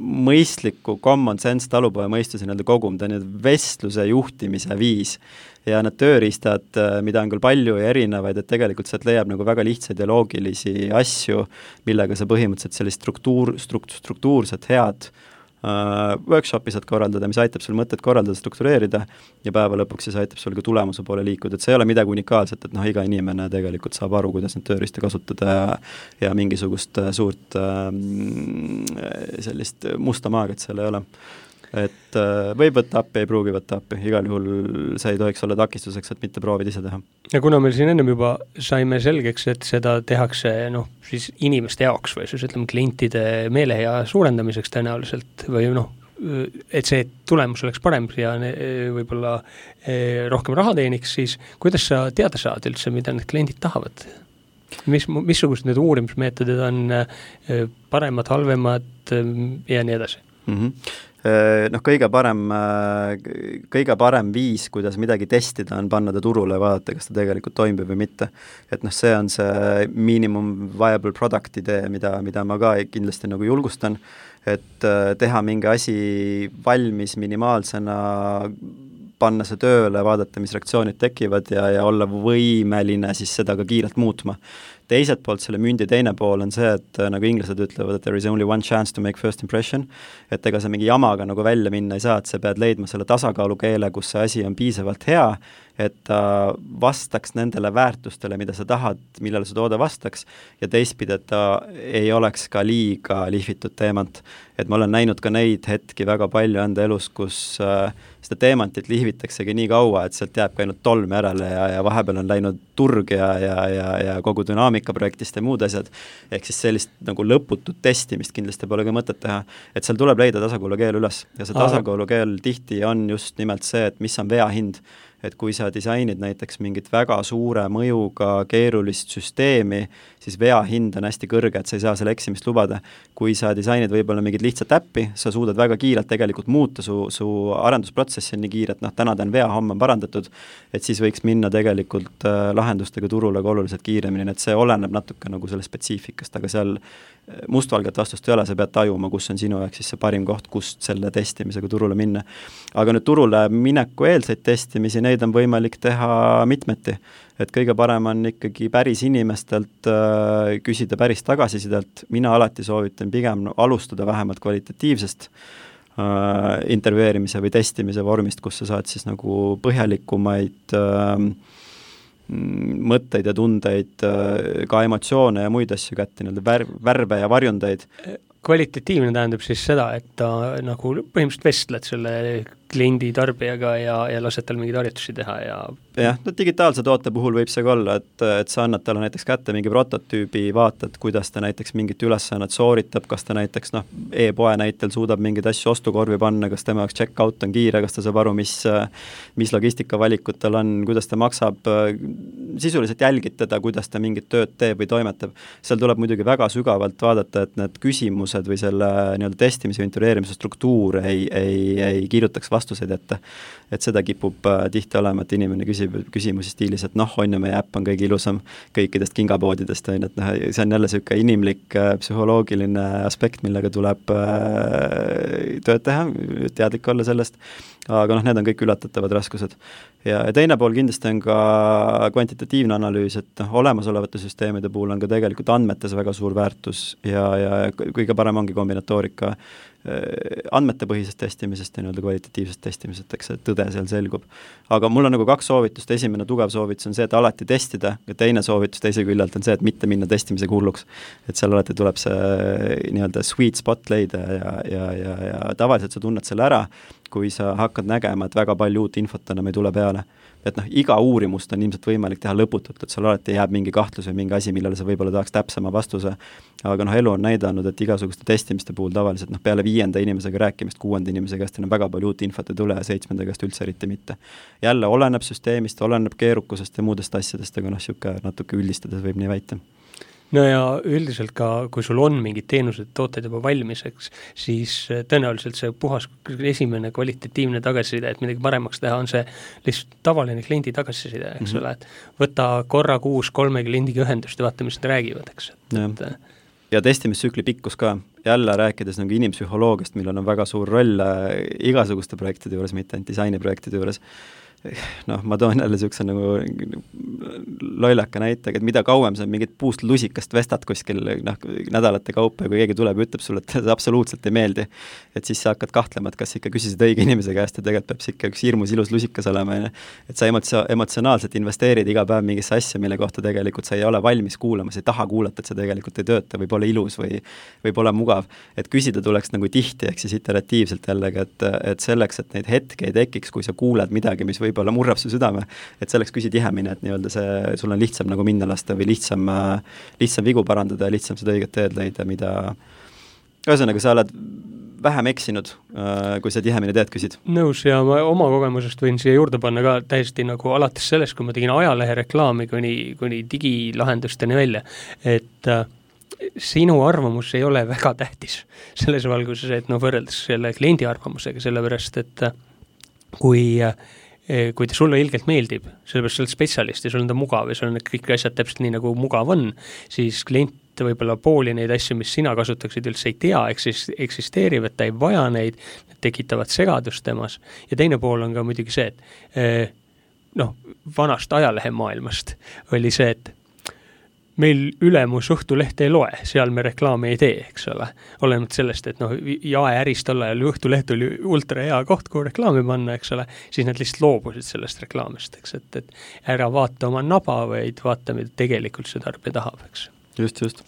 mõistliku common sense talupoja mõistuse nii-öelda kogum, ta on vestluse juhtimise viis ja need tööriistad, mida on küll palju ja erinevaid, et tegelikult sealt leiab nagu väga lihtsaid ja loogilisi asju, millega sa põhimõtteliselt sellist struktuur, strukt, struktuurset head uh, workshopi saad korraldada, mis aitab sul mõtted korraldada, struktureerida ja päeva lõpuks siis aitab sul ka tulemuse poole liikuda, et see ei ole midagi unikaalset, et noh, iga inimene tegelikult saab aru, kuidas need tööriista kasutada ja, ja mingisugust suurt uh, sellist musta maagiat seal ei ole. Et võib võtta appi, ei pruugi võtta appi, igal juhul see ei tohiks olla takistuseks, et mitte proovid ise teha. Ja kuna meil siin ennem juba saime selgeks, et seda tehakse noh, siis inimeste jaoks või siis ütleme klientide meelehea suurendamiseks tõenäoliselt või noh, et see tulemus oleks parem ja võib-olla rohkem raha teeniks, siis kuidas sa teada saad üldse, mida need kliendid tahavad? Mis, missugused need uurimismeetodid on paremad, halvemad ja nii edasi? Mhm. Noh, kõige parem, kõige parem viis, kuidas midagi testida, on panna ta turule ja vaadata, kas ta tegelikult toimib või mitte. Et noh, see on see minimum viable product idee, mida, mida ma ka kindlasti nagu julgustan, et teha mingi asi valmis minimaalsena, panna see tööle, vaadata, mis reaktsioonid tekivad ja, ja olla võimeline siis seda ka kiirelt muutma. Teiselt poolt selle mündi teine pool on see, et nagu inglased ütlevad, et there is only one chance to make first impression, et ega sa mingi jamaga nagu välja minna ei saa, et sa pead leidma selle tasakaalukeele, kus see asi on piisavalt hea et ta vastaks nendele väärtustele, mida sa tahad, millele su toode vastaks, ja teistpidi, et ta ei oleks ka liiga lihvitud teemant. Et ma olen näinud ka neid hetki väga palju enda elus, kus äh, seda teemantit lihvitaksegi nii kaua, et sealt jääb ka ainult tolm järele ja, ja vahepeal on läinud turg ja, ja, ja, ja kogu dünaamika projektist ja muud asjad. Ehk siis sellist nagu lõputut testimist kindlasti pole ka mõtet teha. Et seal tuleb leida tasakaalukeel üles. Ja see tasakaalukeel tihti on just nimelt see, et mis on vea hind. Et kui sa disainid näiteks mingit väga suure mõjuga keerulist süsteemi, siis vea hind on hästi kõrge, et sa ei saa selle eksimist lubada. Kui sa disainid võib-olla mingit lihtsat äppi, sa suudad väga kiirelt tegelikult muuta, su, su arendusprotsessi on nii kiire, et noh, täna ta on vea, homme on parandatud, et siis võiks minna tegelikult äh, lahendustega turule ka oluliselt kiiremini, et see oleneb natuke nagu selle spetsiifikast, aga seal mustvalget vastust ei ole, sa pead tajuma, kus on sinu jaoks siis see parim koht, kust selle testimisega turule minna. Aga nüüd turule mineku eelseid testimisi, neid on võimalik teha mitmeti. Et kõige parem on ikkagi päris inimestelt äh, küsida päris tagasisidelt. Mina alati soovitan pigem alustada vähemalt kvalitatiivsest äh, intervjueerimise või testimise vormist, kus sa saad siis nagu põhjalikumaid äh, mõtteid ja tundeid, ka emotsioone ja muid asju kätte, värv, värve ja varjundeid. Kvalitatiivne tähendab siis seda, et ta nagu põhimõtteliselt vestled selle kliendi tarbijaga ja, ja lased tal mingeid harjutusi teha ja jah, no digitaalse toote puhul võib see ka olla, et, et sa annad talle näiteks kätte mingi prototüübi, vaatad, kuidas ta näiteks mingit ülesannet sooritab, kas ta näiteks noh, e-poe näitel suudab mingeid asju ostukorvi panna, kas tema jaoks check-out on kiire, kas ta saab aru, mis, mis logistikavalikud tal on, kuidas ta maksab, sisuliselt jälgid teda, kuidas ta mingit tööd teeb või toimetab. Seal tuleb muidugi väga sügavalt vaadata, et need küsimused või selle nii-öelda testimise või intervjueerimise struktuur ei, ei, ei kirjutaks vastuseid ette. Et seda kipub äh, tihti olema, et inimene küsib küsimusi stiilis, et noh, on ju, meie äpp on kõige ilusam kõikidest kingapoodidest, on, et noh, see on jälle selline inimlik äh, psühholoogiline aspekt, millega tuleb äh, tööd teha, teadlik olla sellest, aga noh, need on kõik ületatavad raskused. Ja, ja teine pool kindlasti on ka kvantitatiivne analüüs, et noh, olemasolevate süsteemide puhul on ka tegelikult andmetes väga suur väärtus ja, ja kõige parem ongi kombinatoorika andmetepõhisest testimisest ja nii-öelda kvalitatiivsest testimisest, eks see tõde seal selgub. Aga mul on nagu kaks soovitust, esimene tugev soovitus on see, et alati testida ja teine soovitus teise küljelt on see, et mitte minna testimisega hulluks. Et seal alati tuleb see nii-öelda sweet spot leida ja, ja, ja, ja tavaliselt sa tunned selle ära, kui sa hakkad nägema, et väga palju uut infot enam ei tule peale. Et noh, iga uurimust on ilmselt võimalik teha lõputult, et seal alati jääb mingi kahtlus või mingi asi, millele sa võib-olla tahaks täpsema vastuse. Aga noh, elu on näidanud, et igasuguste testimiste puhul tavaliselt noh, peale viienda inimesega rääkimist, kuuenda inimese käest on väga palju uut infot ei tule ja seitsmenda käest üldse eriti mitte. Jälle oleneb süsteemist, oleneb keerukusest ja muudest asjadest, aga noh, siuke natuke üldistades võib nii väita. No ja üldiselt ka, kui sul on mingid teenused, tooted juba valmiseks, siis tõenäoliselt see puhas esimene kvalitatiivne tagasiside, et midagi paremaks teha, on see lihtsalt tavaline kliendi tagasiside, eks mm-hmm. ole, et võta korra kuus kolme kliendiga ühendust ja vaata, mis nad räägivad, eks. Ja, et, ja testimistsükli pikkus ka, jälle rääkides nagu inimpsühholoogiast, millel on väga suur roll igasuguste projektide juures, mitte ainult disainiprojektide juures. Noh, ma toon jälle siukse nagu loilaka näitega, et mida kauem sa mingit puust lusikast vestad kuskil noh, nädalate kaupa ja kui keegi tuleb ja ütleb sulle, et see absoluutselt ei meeldi, et siis sa hakkad kahtlema, et kas ikka küsisid õige inimese käest ja tegelikult peab ikka üks hirmus ilus lusikas olema, et sa emotsio- emotsionaalselt investeerid iga päev mingisse asja, mille kohta tegelikult sa ei ole valmis kuulama, sa ei taha kuulata, et see tegelikult ei tööta või pole ilus või, või pole mugav, et küsida tuleks nagu tihti, ehk siis iteratiivselt jällegi, et, et selleks, et neid hetke ei tekiks, kui sa kuuled midagi, mis võib võib-olla murrab su südame, et selleks küsi tihemini, et nii-öelda see, sul on lihtsam nagu minna lasta või lihtsam, lihtsam vigu parandada ja lihtsam seda õiget teed leida, mida ühesõnaga sa oled vähem eksinud, kui sa tihemini teed küsid. Nõus ja ma oma kogemusest võin siia juurde panna ka täiesti nagu alates sellest, kui ma tegin ajalehe reklaami kuni, kuni digilahendusteni välja, et äh, sinu arvamus ei ole väga tähtis selles valguses, et no võrreldes selle kliendi arvamusega, sellepärast, et äh, kui äh, kui ta sulle ilgelt meeldib, sellepärast sa oled spetsialist ja sul on ta mugav ja sul on kõik asjad täpselt nii, nagu mugav on, siis klient võib-olla pooli neid asju, mis sina kasutaksid üldse ei tea, eksisteerivad, ta ei vaja neid, need tekitavad segadust temas. Ja teine pool on ka muidugi see, et noh, vanast ajalehe maailmast oli see, et meil ülemus Õhtulehte ei loe, seal me reklaami ei tee, eks ole. Olenevalt sellest, et noh, jaeäris tol ajal Õhtuleht oli ultra hea koht, kuhu reklaami panna, eks ole, siis nad lihtsalt loobusid sellest reklaamist, eks, et, et ära vaata oma naba, vaid vaata, mida tegelikult see tarbija tahab, eks. Just, just.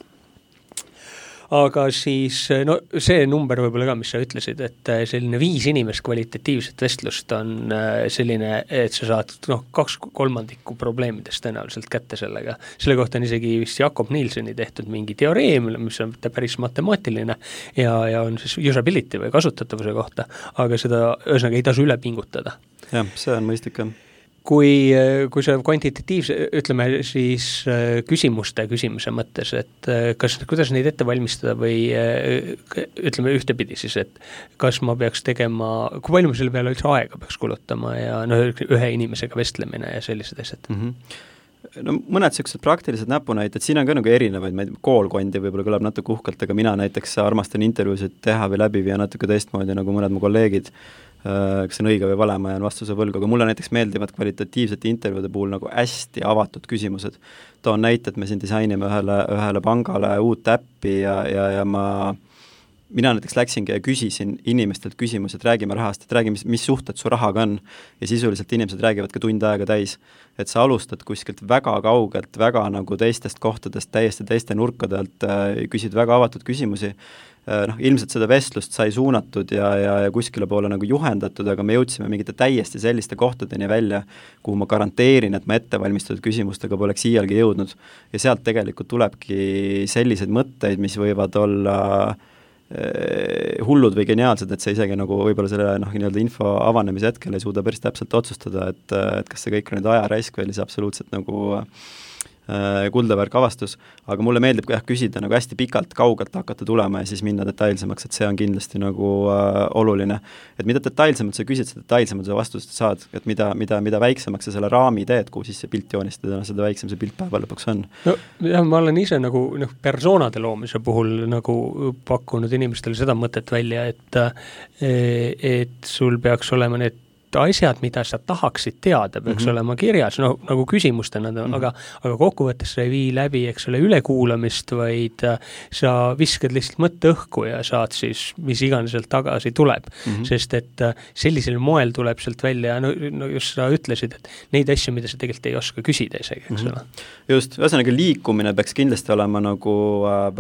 Aga siis, no see number võib-olla ka, mis sa ütlesid, et selline viis inimest kvalitatiivset vestlust on selline, et sa saad noh, kaks kolmandikku probleemidest tõenäoliselt kätte sellega. Selle kohta on isegi vist Jakob Nielseni tehtud mingi teoreem, mis on päris matemaatiline ja, ja on siis usability või kasutatavuse kohta, aga seda ühesõnaga ei tasu üle pingutada. Jah, see on mõistlik. Kui, kui see kvantitatiivse, ütleme siis küsimuste küsimise mõttes, et kas, kuidas neid ette valmistada või ütleme ühtepidi siis, et kas ma peaks tegema, kui palju ma selle peale üldse aega peaks kulutama ja no, ühe inimesega vestlemine ja sellised asjad? Mm-hmm. No mõned sellised praktilised näpunäited, siin on ka nagu erinevaid, ma ei tea, koolkondi võib-olla kõlab natuke uhkelt, aga mina näiteks armastan intervjuusid teha või läbi viia natuke teistmoodi nagu mõned mu kolleegid, kas see on õige või vale, ma jään vastuse võlgu, aga mulle näiteks meeldivad kvalitatiivsete intervjuude puhul nagu hästi avatud küsimused. Toon näite, et me siin disainime ühele, ühele pangale uut äppi ja, ja, ja ma mina näiteks läksingi ja küsisin inimestelt küsimus, et räägime rahast, et räägi, mis, mis suhted su rahaga on ja sisuliselt inimesed räägivad ka tund aega täis, et sa alustad kuskilt väga kaugelt, väga nagu teistest kohtadest, täiesti teiste nurkadelt, küsid väga avatud küsimusi. Noh, ilmselt seda vestlust sai suunatud ja, ja, ja kuskile poole nagu juhendatud, aga me jõudsime mingite täiesti selliste kohtadeni välja, kuhu ma garanteerin, et ma ettevalmistatud küsimustega poleks iialgi jõudnud ja sealt tegelikult tulebki selliseid mõtteid, mis võivad olla eh, hullud või geniaalsed, et see isegi nagu võib-olla selle noh, nii-öelda info avanemise hetkel ei suuda päris täpselt otsustada, et, et kas see kõik on nüüd ajaraisk või see absoluutselt nagu kuldavärk avastus, aga mulle meeldib jah küsida nagu hästi pikalt, kaugelt hakata tulema ja siis minna detailsemaks, et see on kindlasti nagu äh, oluline. Et mida detailsemalt sa küsid, seda detailsemalt sa vastust saad, et mida, mida, mida väiksemaks sa selle raami teed, kuhu siis see pilt joonistada, seda väiksem see pilt päeva lõpuks on. No jah, ma olen ise nagu noh, persoonade loomise puhul nagu pakkunud inimestele seda mõtet välja, et, et sul peaks olema need asjad, mida sa tahaksid teada, peaks mm-hmm. olema kirjas, no nagu küsimustena, mm-hmm. aga, aga kokkuvõttes sa ei vii läbi, eks ole, ülekuulamist, vaid sa viskad lihtsalt mõtte õhku ja saad siis, mis iganes sealt tagasi tuleb. Mm-hmm. Sest et sellisel moel tuleb sealt välja, no, no just sa ütlesid, et neid asju, mida sa tegelikult ei oska küsida isegi, eks ole. Mm-hmm. Just, ühesõnaga liikumine peaks kindlasti olema nagu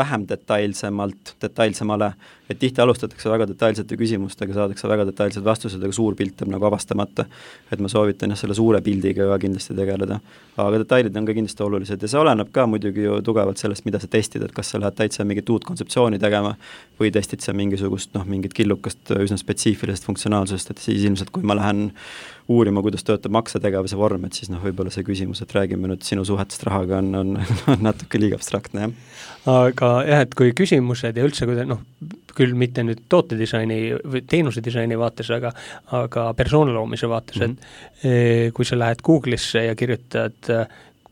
vähem detailsemalt, detailsemale, et tihti alustatakse väga detailsete küsimustega, saadakse väga detailsed vastused, aga suur pilt on nagu avastamata, et ma soovitan jah, selle suure pildiga ka kindlasti tegeleda. Aga detailid on ka kindlasti olulised ja see oleneb ka muidugi ju tugevalt sellest, mida sa testid, et kas sa lähed täitsa mingit uut kontseptsiooni tegema või testid sa mingisugust, noh, mingit killukast üsna spetsiifilisest funktsionaalsusest, et siis ilmselt, kui ma lähen uurima, kuidas töötab maksetegevuse vorm, et siis noh, võib-olla see küsimus, et räägime nüüd sinu suhetest rahaga on, on, on natuke liiga abstraktne, jah. Aga jah, et kui küsimused ja üldse, kui noh, küll mitte nüüd tootedisaini või teenusedisaini vaates, aga, aga persoonaloomise vaates, mm-hmm. et kui sa lähed Google'isse ja kirjutad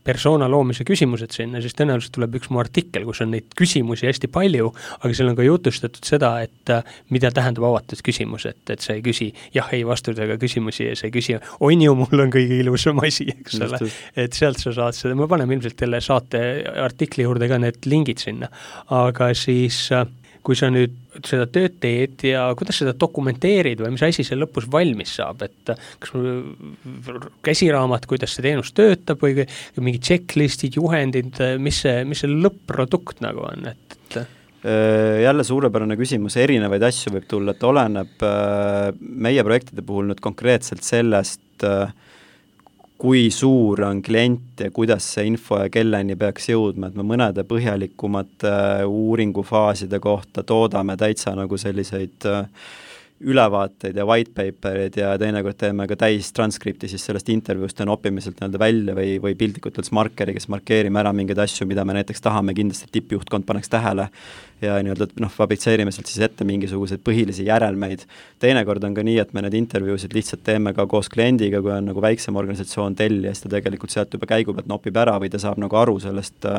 persona loomise küsimused sinna, siis tõenäoliselt tuleb üks mu artikkel, kus on neid küsimusi hästi palju, aga seal on ka jutustatud seda, et mida tähendab avatud küsimus, et, et sa ei küsi jah, ei vastusega küsimusi ja sa ei küsi, on ju, mul on kõige ilusam asi, eks ole, et sealt sa saad seda, me paneme ilmselt selle saate artikli juurde ka need lingid sinna, aga siis kui sa nüüd seda tööd teed ja kuidas seda dokumenteerid või mis asi see lõpus valmis saab, et kas käsiraamat, kuidas see teenus töötab või mingi checklistid, juhendid, mis see, mis see lõpp-produkt nagu on, et, et jälle suurepärane küsimus, erinevaid asju võib tulla, et oleneb meie projektide puhul nüüd konkreetselt sellest, kui suur on klient ja kuidas see info ja kelleni peaks jõudma, et me mõnede põhjalikumate uuringufaaside kohta toodame täitsa nagu selliseid ülevaateid ja white paperid ja teinekord teeme ka täis transkripti siis sellest intervjuust ja nopimiselt nii-öelda välja või, või piltlikult üldse markeri, kes markeerime ära mingeid asju, mida me näiteks tahame kindlasti tippjuhtkond paneks tähele ja nii-öelda noh, fabritseerime sealt siis ette mingisuguseid põhilisi järelmeid. Teinekord on ka nii, et me need intervjuusid lihtsalt teeme ka koos kliendiga, kui on nagu väiksem organisatsioon tellija, siis ta tegelikult sealt juba käigu pealt nopib ära või ta saab nagu aru sellest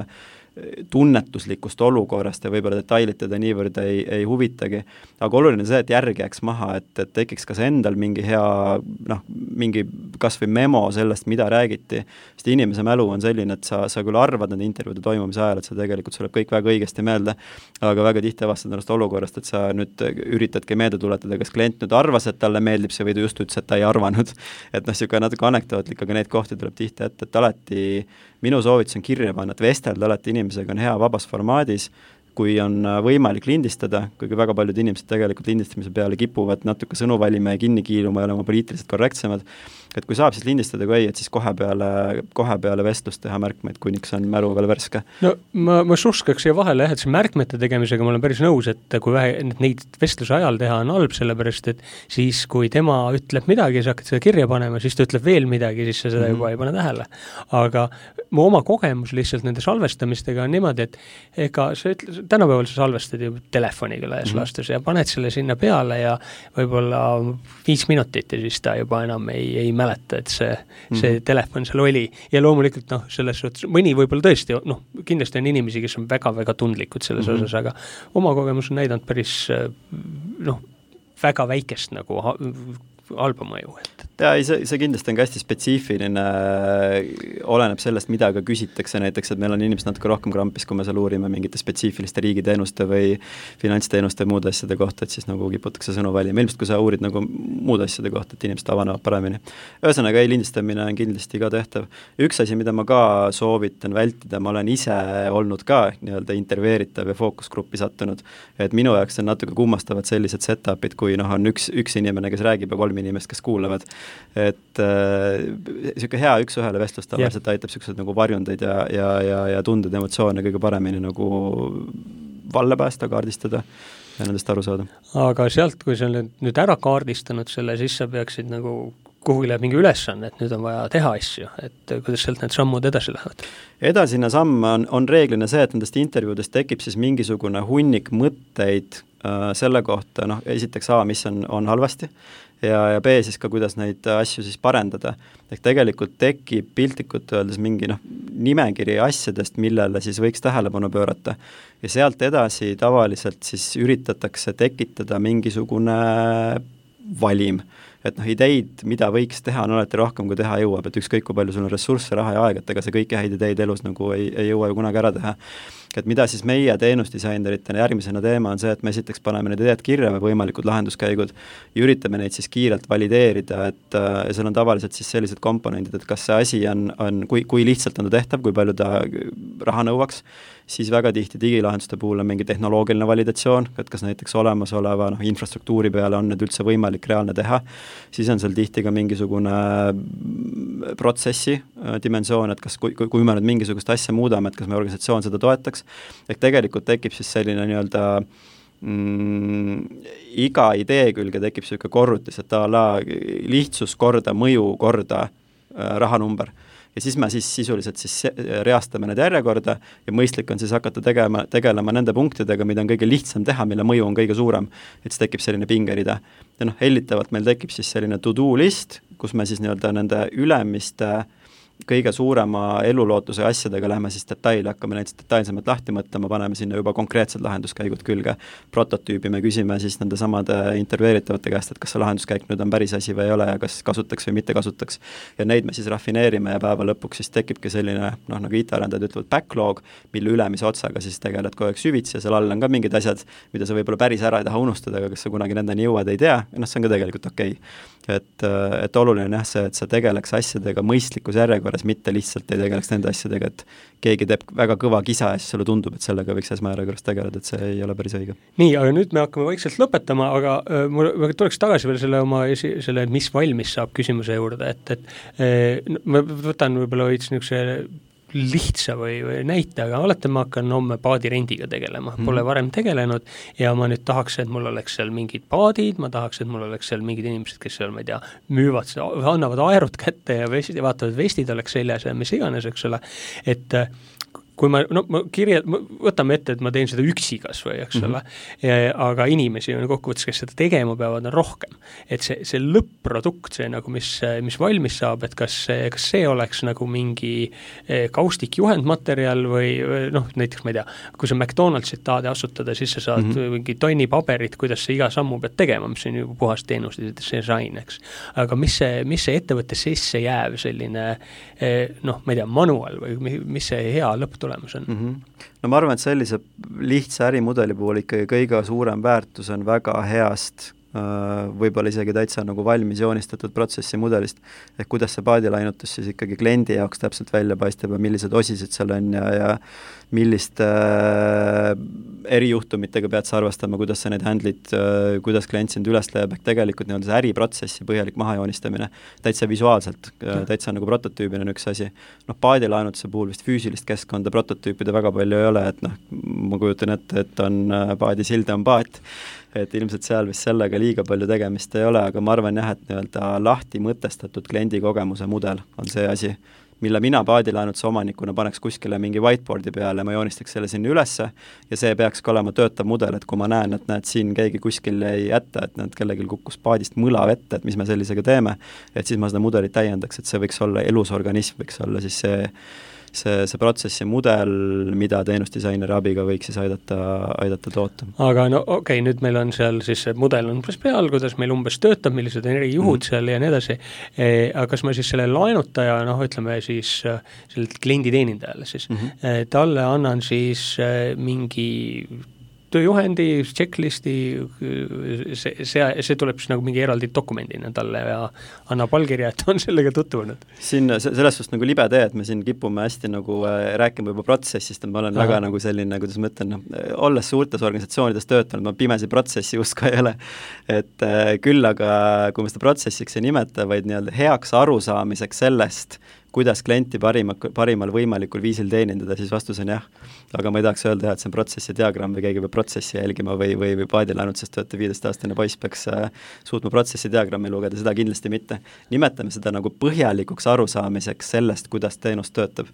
tunnetuslikust olukorrast ja võib-olla detailid teda niivõrd ei, ei huvitagi. Aga oluline on see, et järgi jääks maha, et, et tekiks kas endal mingi hea, noh, mingi kas või memo sellest, mida räägiti. Sest inimese mälu on selline, et sa, sa küll arvad nende intervjuude toimumise ajal, et sa tegelikult tuleb kõik väga õigesti meelde, aga väga tihti avastad ennast olukorrast, et sa nüüd üritadki meelde tuletada, kas klient nüüd arvas, et talle meeldib see või ta just ütles, et ta ei arvanud. Et noh, siuke natuke anekdootlik, aga neid kohti tuleb tihti ette, et alati minu soovitus on kirja panna, et vestelda alati inimesega on hea vabas formaadis, kui on võimalik lindistada, kuigi väga paljud inimesed tegelikult lindistamise peale kipuvad natuke sõnu valima ja kinni kiiluma ja olema poliitiliselt korrektsemad. Et kui saab siis lindistada, kui ei, et siis kohe peale, kohe peale vestlust teha märkmeid, kuniks on mälu veel värske. No ma, ma suskaks siia vahele, et see märkmete tegemisega ma olen päris nõus, et kui vähe, neid vestluse ajal teha on halb, sellepärast, et siis kui tema ütleb midagi, sa hakkad seda kirja panema, siis ta ütleb veel midagi, siis sa seda juba ei pane tähele. Aga mu oma kogemus lihtsalt nende salvestamistega on niimoodi, et ega sa ütled, tänapäeval sa salvestad ju telefoniga laias mm-hmm. laastus ja paned selle sinna peale ja võib-olla viis minutit ja siis ta juba enam ei, ei mäleta, et see, see mm-hmm. telefon seal oli. Ja loomulikult, noh, selles suhtes, mõni võib-olla tõesti, noh, kindlasti on inimesi, kes on väga-väga tundlikud selles mm-hmm. osas, aga oma kogemus on näidanud päris, noh, väga väikest nagu halba mõju. Et. Ja see, see kindlasti on ka hästi spetsiifiline, oleneb sellest, mida ka küsitakse näiteks, et meil on inimesed natuke rohkem krampis, kui me seal uurime mingite spetsiifiliste riigiteenuste või finantsteenuste ja muude asjade kohta, et siis nagu kiputakse sõnu valima. Ilmselt, kui sa uurid nagu muude asjade kohta, et inimesed avanevad paremini. Ühesõnaga, ei lindistamine on kindlasti ka tehtav. Üks asi, mida ma ka soovitan vältida, ma olen ise olnud ka nii-öelda intervjueeritav ja fookusgruppi sattunud, et minu jaoks on natuke kummastavad sellised setupid, kui noh, on üks, üks inimene, kes räägib ja kolm inimest, kes kuulavad. Et äh, siuke hea üks-ühele vestlust tavaliselt yeah. aitab siuksed nagu varjundeid ja, ja, ja, ja tunded emotsioone kõige paremini nagu valle päästa, kaardistada ja nendest aru saada. Aga sealt, kui sa oled nüüd ära kaardistanud selle, siis sa peaksid nagu kuhugi läheb mingi ülesanne, et nüüd on vaja teha asju, et kuidas sealt need sammud edasi lähevad? Edasine samm on, on reeglina see, et nendest intervjuudest tekib siis mingisugune hunnik mõtteid äh, selle kohta, noh, esiteks A, mis on, on halvasti, ja, ja B siis ka, kuidas neid asju siis parendada. Ehk tegelikult tekib piltlikult öeldes mingi noh, nimekiri asjadest, millele siis võiks tähelepanu pöörata. Ja sealt edasi tavaliselt siis üritatakse tekitada mingisugune valim. Et noh, ideid, mida võiks teha, on alati rohkem, kui teha jõuab, et ükskõik, kui palju sul on ressursse, raha ja aega, et ega see kõiki häid ideid elus nagu ei, ei jõua ju kunagi ära teha. Et mida siis meie teenusdisaineritena järgmisena teema on see, et me esiteks paneme need ideed kirja või võimalikud lahenduskäigud ja üritame neid siis kiirelt valideerida, et ja seal on tavaliselt siis sellised komponendid, et kas see asi on, on kui, kui lihtsalt on ta tehtav, kui palju ta raha nõuaks, siis väga tihti digilahenduste puhul on mingi tehnoloogiline validatsioon, et kas näiteks olemasoleva noh, infrastruktuuri peale on need üldse võimalik reaalne teha, siis on seal tihti ka mingisugune protsessi dimensioon, et kas kui, kui me nüüd mingisugust asja muudame, et kas me organisatsioon seda toetaks, ehk tegelikult tekib siis selline nii-öelda mm, iga idee külge tekib selline korrutis, et a la lihtsus korda, mõju korda äh, rahanumber. Ja siis me siis sisuliselt siis reastame need järjekorda ja mõistlik on siis hakata tegema, tegelema nende punktidega, mida on kõige lihtsam teha, mille mõju on kõige suurem, et siis tekib selline pingerida. Ja noh, hellitavalt meil tekib siis selline to-do list, kus me siis nii-öelda nende ülemiste kõige suurema elulootuse asjadega lähme siis detaili, hakkame näiteks detailsemalt lahti mõtlema, paneme sinna juba konkreetsed lahenduskäigud külge. Prototüübi me küsime siis nende samade intervjueeritavate käest, et kas see lahenduskäik nüüd on päris asi või ei ole ja kas kasutaks või mitte kasutaks. Ja neid me siis rafineerime ja päeva lõpuks siis tekibki selline, noh nagu I T-arendajad ütlevad backlog, mille ülemise otsaga siis tegeled kogu aeg süvitsi ja seal all on ka mingid asjad, mida sa võib-olla päris ära ei taha unustada, aga kas sa kunagi nendeni jõuad, ei tea, noh see on ka tegelikult okei. Et, et oluline on jah see, et sa tegeleks asjadega mõistlikus järjekorras, mitte lihtsalt ei tegeleks nende asjadega, et keegi teeb väga kõva kisa ja siis sulle tundub, et sellega võiks esmajärjekorras tegeleda, et see ei ole päris õige. Nii, aga nüüd me hakkame vaikselt lõpetama, aga äh, mul tuleks tagasi veel selle oma esi, selle, mis valmis saab küsimuse juurde, et, et äh, ma võtan võib-olla võiks niisuguse lihtsa või, või näite, aga olete ma hakkan homme paadirendiga tegelema, pole mm. varem tegelenud ja ma nüüd tahaks, et mul oleks seal mingid paadid, ma tahaks, et mul oleks seal mingid inimesed, kes seal, ma ei tea, müüvad, annavad aerud kätte ja vestid ja vaatavad, vestid oleks seljas ja mis iganes, eks ole, et kui ma, no ma kirja, võtame ette, et ma teen seda üksi kas või, eks ole, mm-hmm. aga inimesi on kokkuvõttes, kes seda tegema peavad, on rohkem. Et see, see lõpp-produkt, see nagu, mis, mis valmis saab, et kas see, kas see oleks nagu mingi kaustik juhendmaterjal või, või noh, näiteks ma ei tea, kui sa McDonaldsit tahad asutada, siis sa saad mm-hmm. mingi tonni paberit, kuidas sa iga sammu pead tegema, mis on ju puhas teenus, see sain, eks. Aga mis see, mis see ettevõtte sisse jääb selline, noh, ma ei tea, manual või mis see hea lõpp tulemus on? Mm-hmm. No ma arvan, et sellise lihtsa ärimudeli puhul ikkagi kõige suurem väärtus on väga heast, võib-olla isegi täitsa nagu valmis joonistatud protsessi mudelist, ehk kuidas see paadilainutus siis ikkagi kliendi jaoks täpselt välja paistab ja millised osised seal on ja, ja milliste äh, erijuhtumitega pead sa arvestama, kuidas sa neid handlid, äh, kuidas klient sind üles leiab, ehk tegelikult nii-öelda see äriprotsessi põhjalik mahajoonistamine täitsa visuaalselt, äh, täitsa nagu prototüübina on üks asi. Noh, paadilainutuse puhul vist füüsilist keskkonda prototüüpide väga palju ei ole, et noh, ma kujutan ette, et on äh, paadisilde on paat, et ilmselt seal vist sellega liiga palju tegemist ei ole, aga ma arvan jah, et nii-öelda lahti mõtestatud kliendi kogemuse mudel on see asi, mille mina paadilainutuse omanikuna paneks kuskile mingi whiteboardi peale, ma joonistaks selle sinna ülesse ja see peaks ka olema töötav mudel, et kui ma näen, et näed, siin keegi kuskil jäi ette, et näed, kellelgi kukkus paadist mõla vette, et mis me sellisega teeme, et siis ma seda mudelit täiendaks, et see võiks olla elus organism, võiks olla siis see see, see protsessi mudel, mida teenusdisaineri abiga võiks siis aidata, aidata toota. Aga no okei, okay, nüüd meil on seal siis see mudel on umbes peal, kuidas meil umbes töötab, millised on eri juhud mm. seal ja nii edasi, e, aga kas ma siis selle laenutaja, noh ütleme siis sellelt kliendi teenindajale siis, mm-hmm. talle annan siis mingi tööjuhendi, checklisti, see, see, see tuleb siis nagu mingi eraldi dokumendina talle ja annab allkirja, et on sellega tutvunud. Siin selles suhtes nagu libe tee, et me siin kipume hästi nagu äh, rääkima juba protsessist, et ma olen Aha. väga nagu selline, kuidas ma ütlen, no, olles suurtes organisatsioonides töötanud, ma pimesi protsessi uska ei ole, et äh, küll aga kui me seda protsessiks ei nimeta, vaid nii-öelda heaks arusaamiseks sellest, kuidas klienti parima, parimal võimalikul viisil teenindada, siis vastus on jah. Aga ma ei tahaks öelda, et see on protsessi diagramm või keegi peab protsessi jälgima või, või, või paadilainutses töötab viieteistaastane poiss peaks äh, suutma protsessi diagrammi lugeda, seda kindlasti mitte. Nimetame seda nagu põhjalikuks arusaamiseks sellest, kuidas teenus töötab.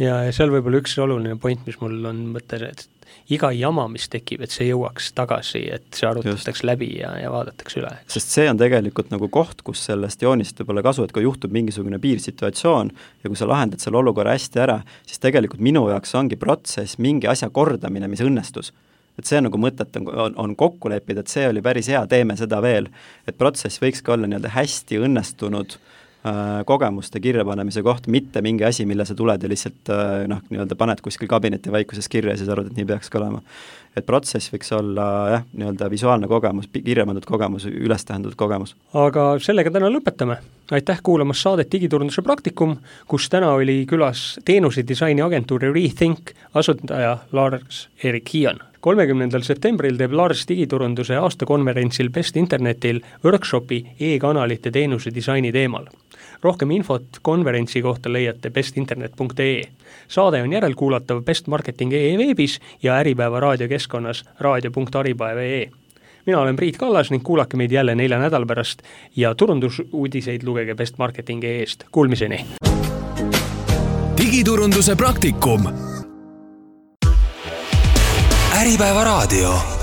Ja, ja seal võib-olla üks oluline point, mis mul on mõte, et iga jama, mis tekib, et see jõuaks tagasi, et see arutataks Just. läbi ja, ja vaadatakse üle. Sest see on tegelikult nagu koht, kus sellest joonist võib olla kasu, et kui juhtub mingisugune piirsituatsioon ja kui sa lahendad selle olukorra hästi ära, siis tegelikult minu jaoks ongi protsess mingi asja kordamine, mis õnnestus. Et see nagu mõtet on, on, on kokku leppida, et see oli päris hea, teeme seda veel. Et protsess võiks ka olla nii-öelda hästi õnnestunud kogemuste kirjapanemise koht, mitte mingi asi, mille sa tuled ja lihtsalt noh, nii-öelda paned kuskil kabineti vaikuses kirja ja siis arvad, et nii peaks ka olema. Et protsess võiks olla jah, nii-öelda visuaalne kogemus, kirjapandud kogemus, üles tähendatud kogemus. Aga sellega täna lõpetame. Aitäh kuulamas saadet Digiturunduse praktikum, kus täna oli külas teenuse disaini agentuuri Rethink asutaja Lars-Erik Hiian. kolmekümnendal septembril teeb Lars digiturunduse aastakonverentsil Best Internetil workshopi e-kanalite teenuse disaini teemal. Rohkem infot konverentsi kohta leiate bestinternet punkt ee. Saade on järelkuulatav Best Marketing punkt ee veebis ja Äripäeva raadiokeskkonnas raadio punkt äripäeva punkt ee. Mina olen Priit Kallas ning kuulake meid jälle nelja nädal pärast ja turundusuudiseid lugege Best Marketing punkt ee-st. Kuulmiseni! Digiturunduse praktikum. Äripäeva raadio.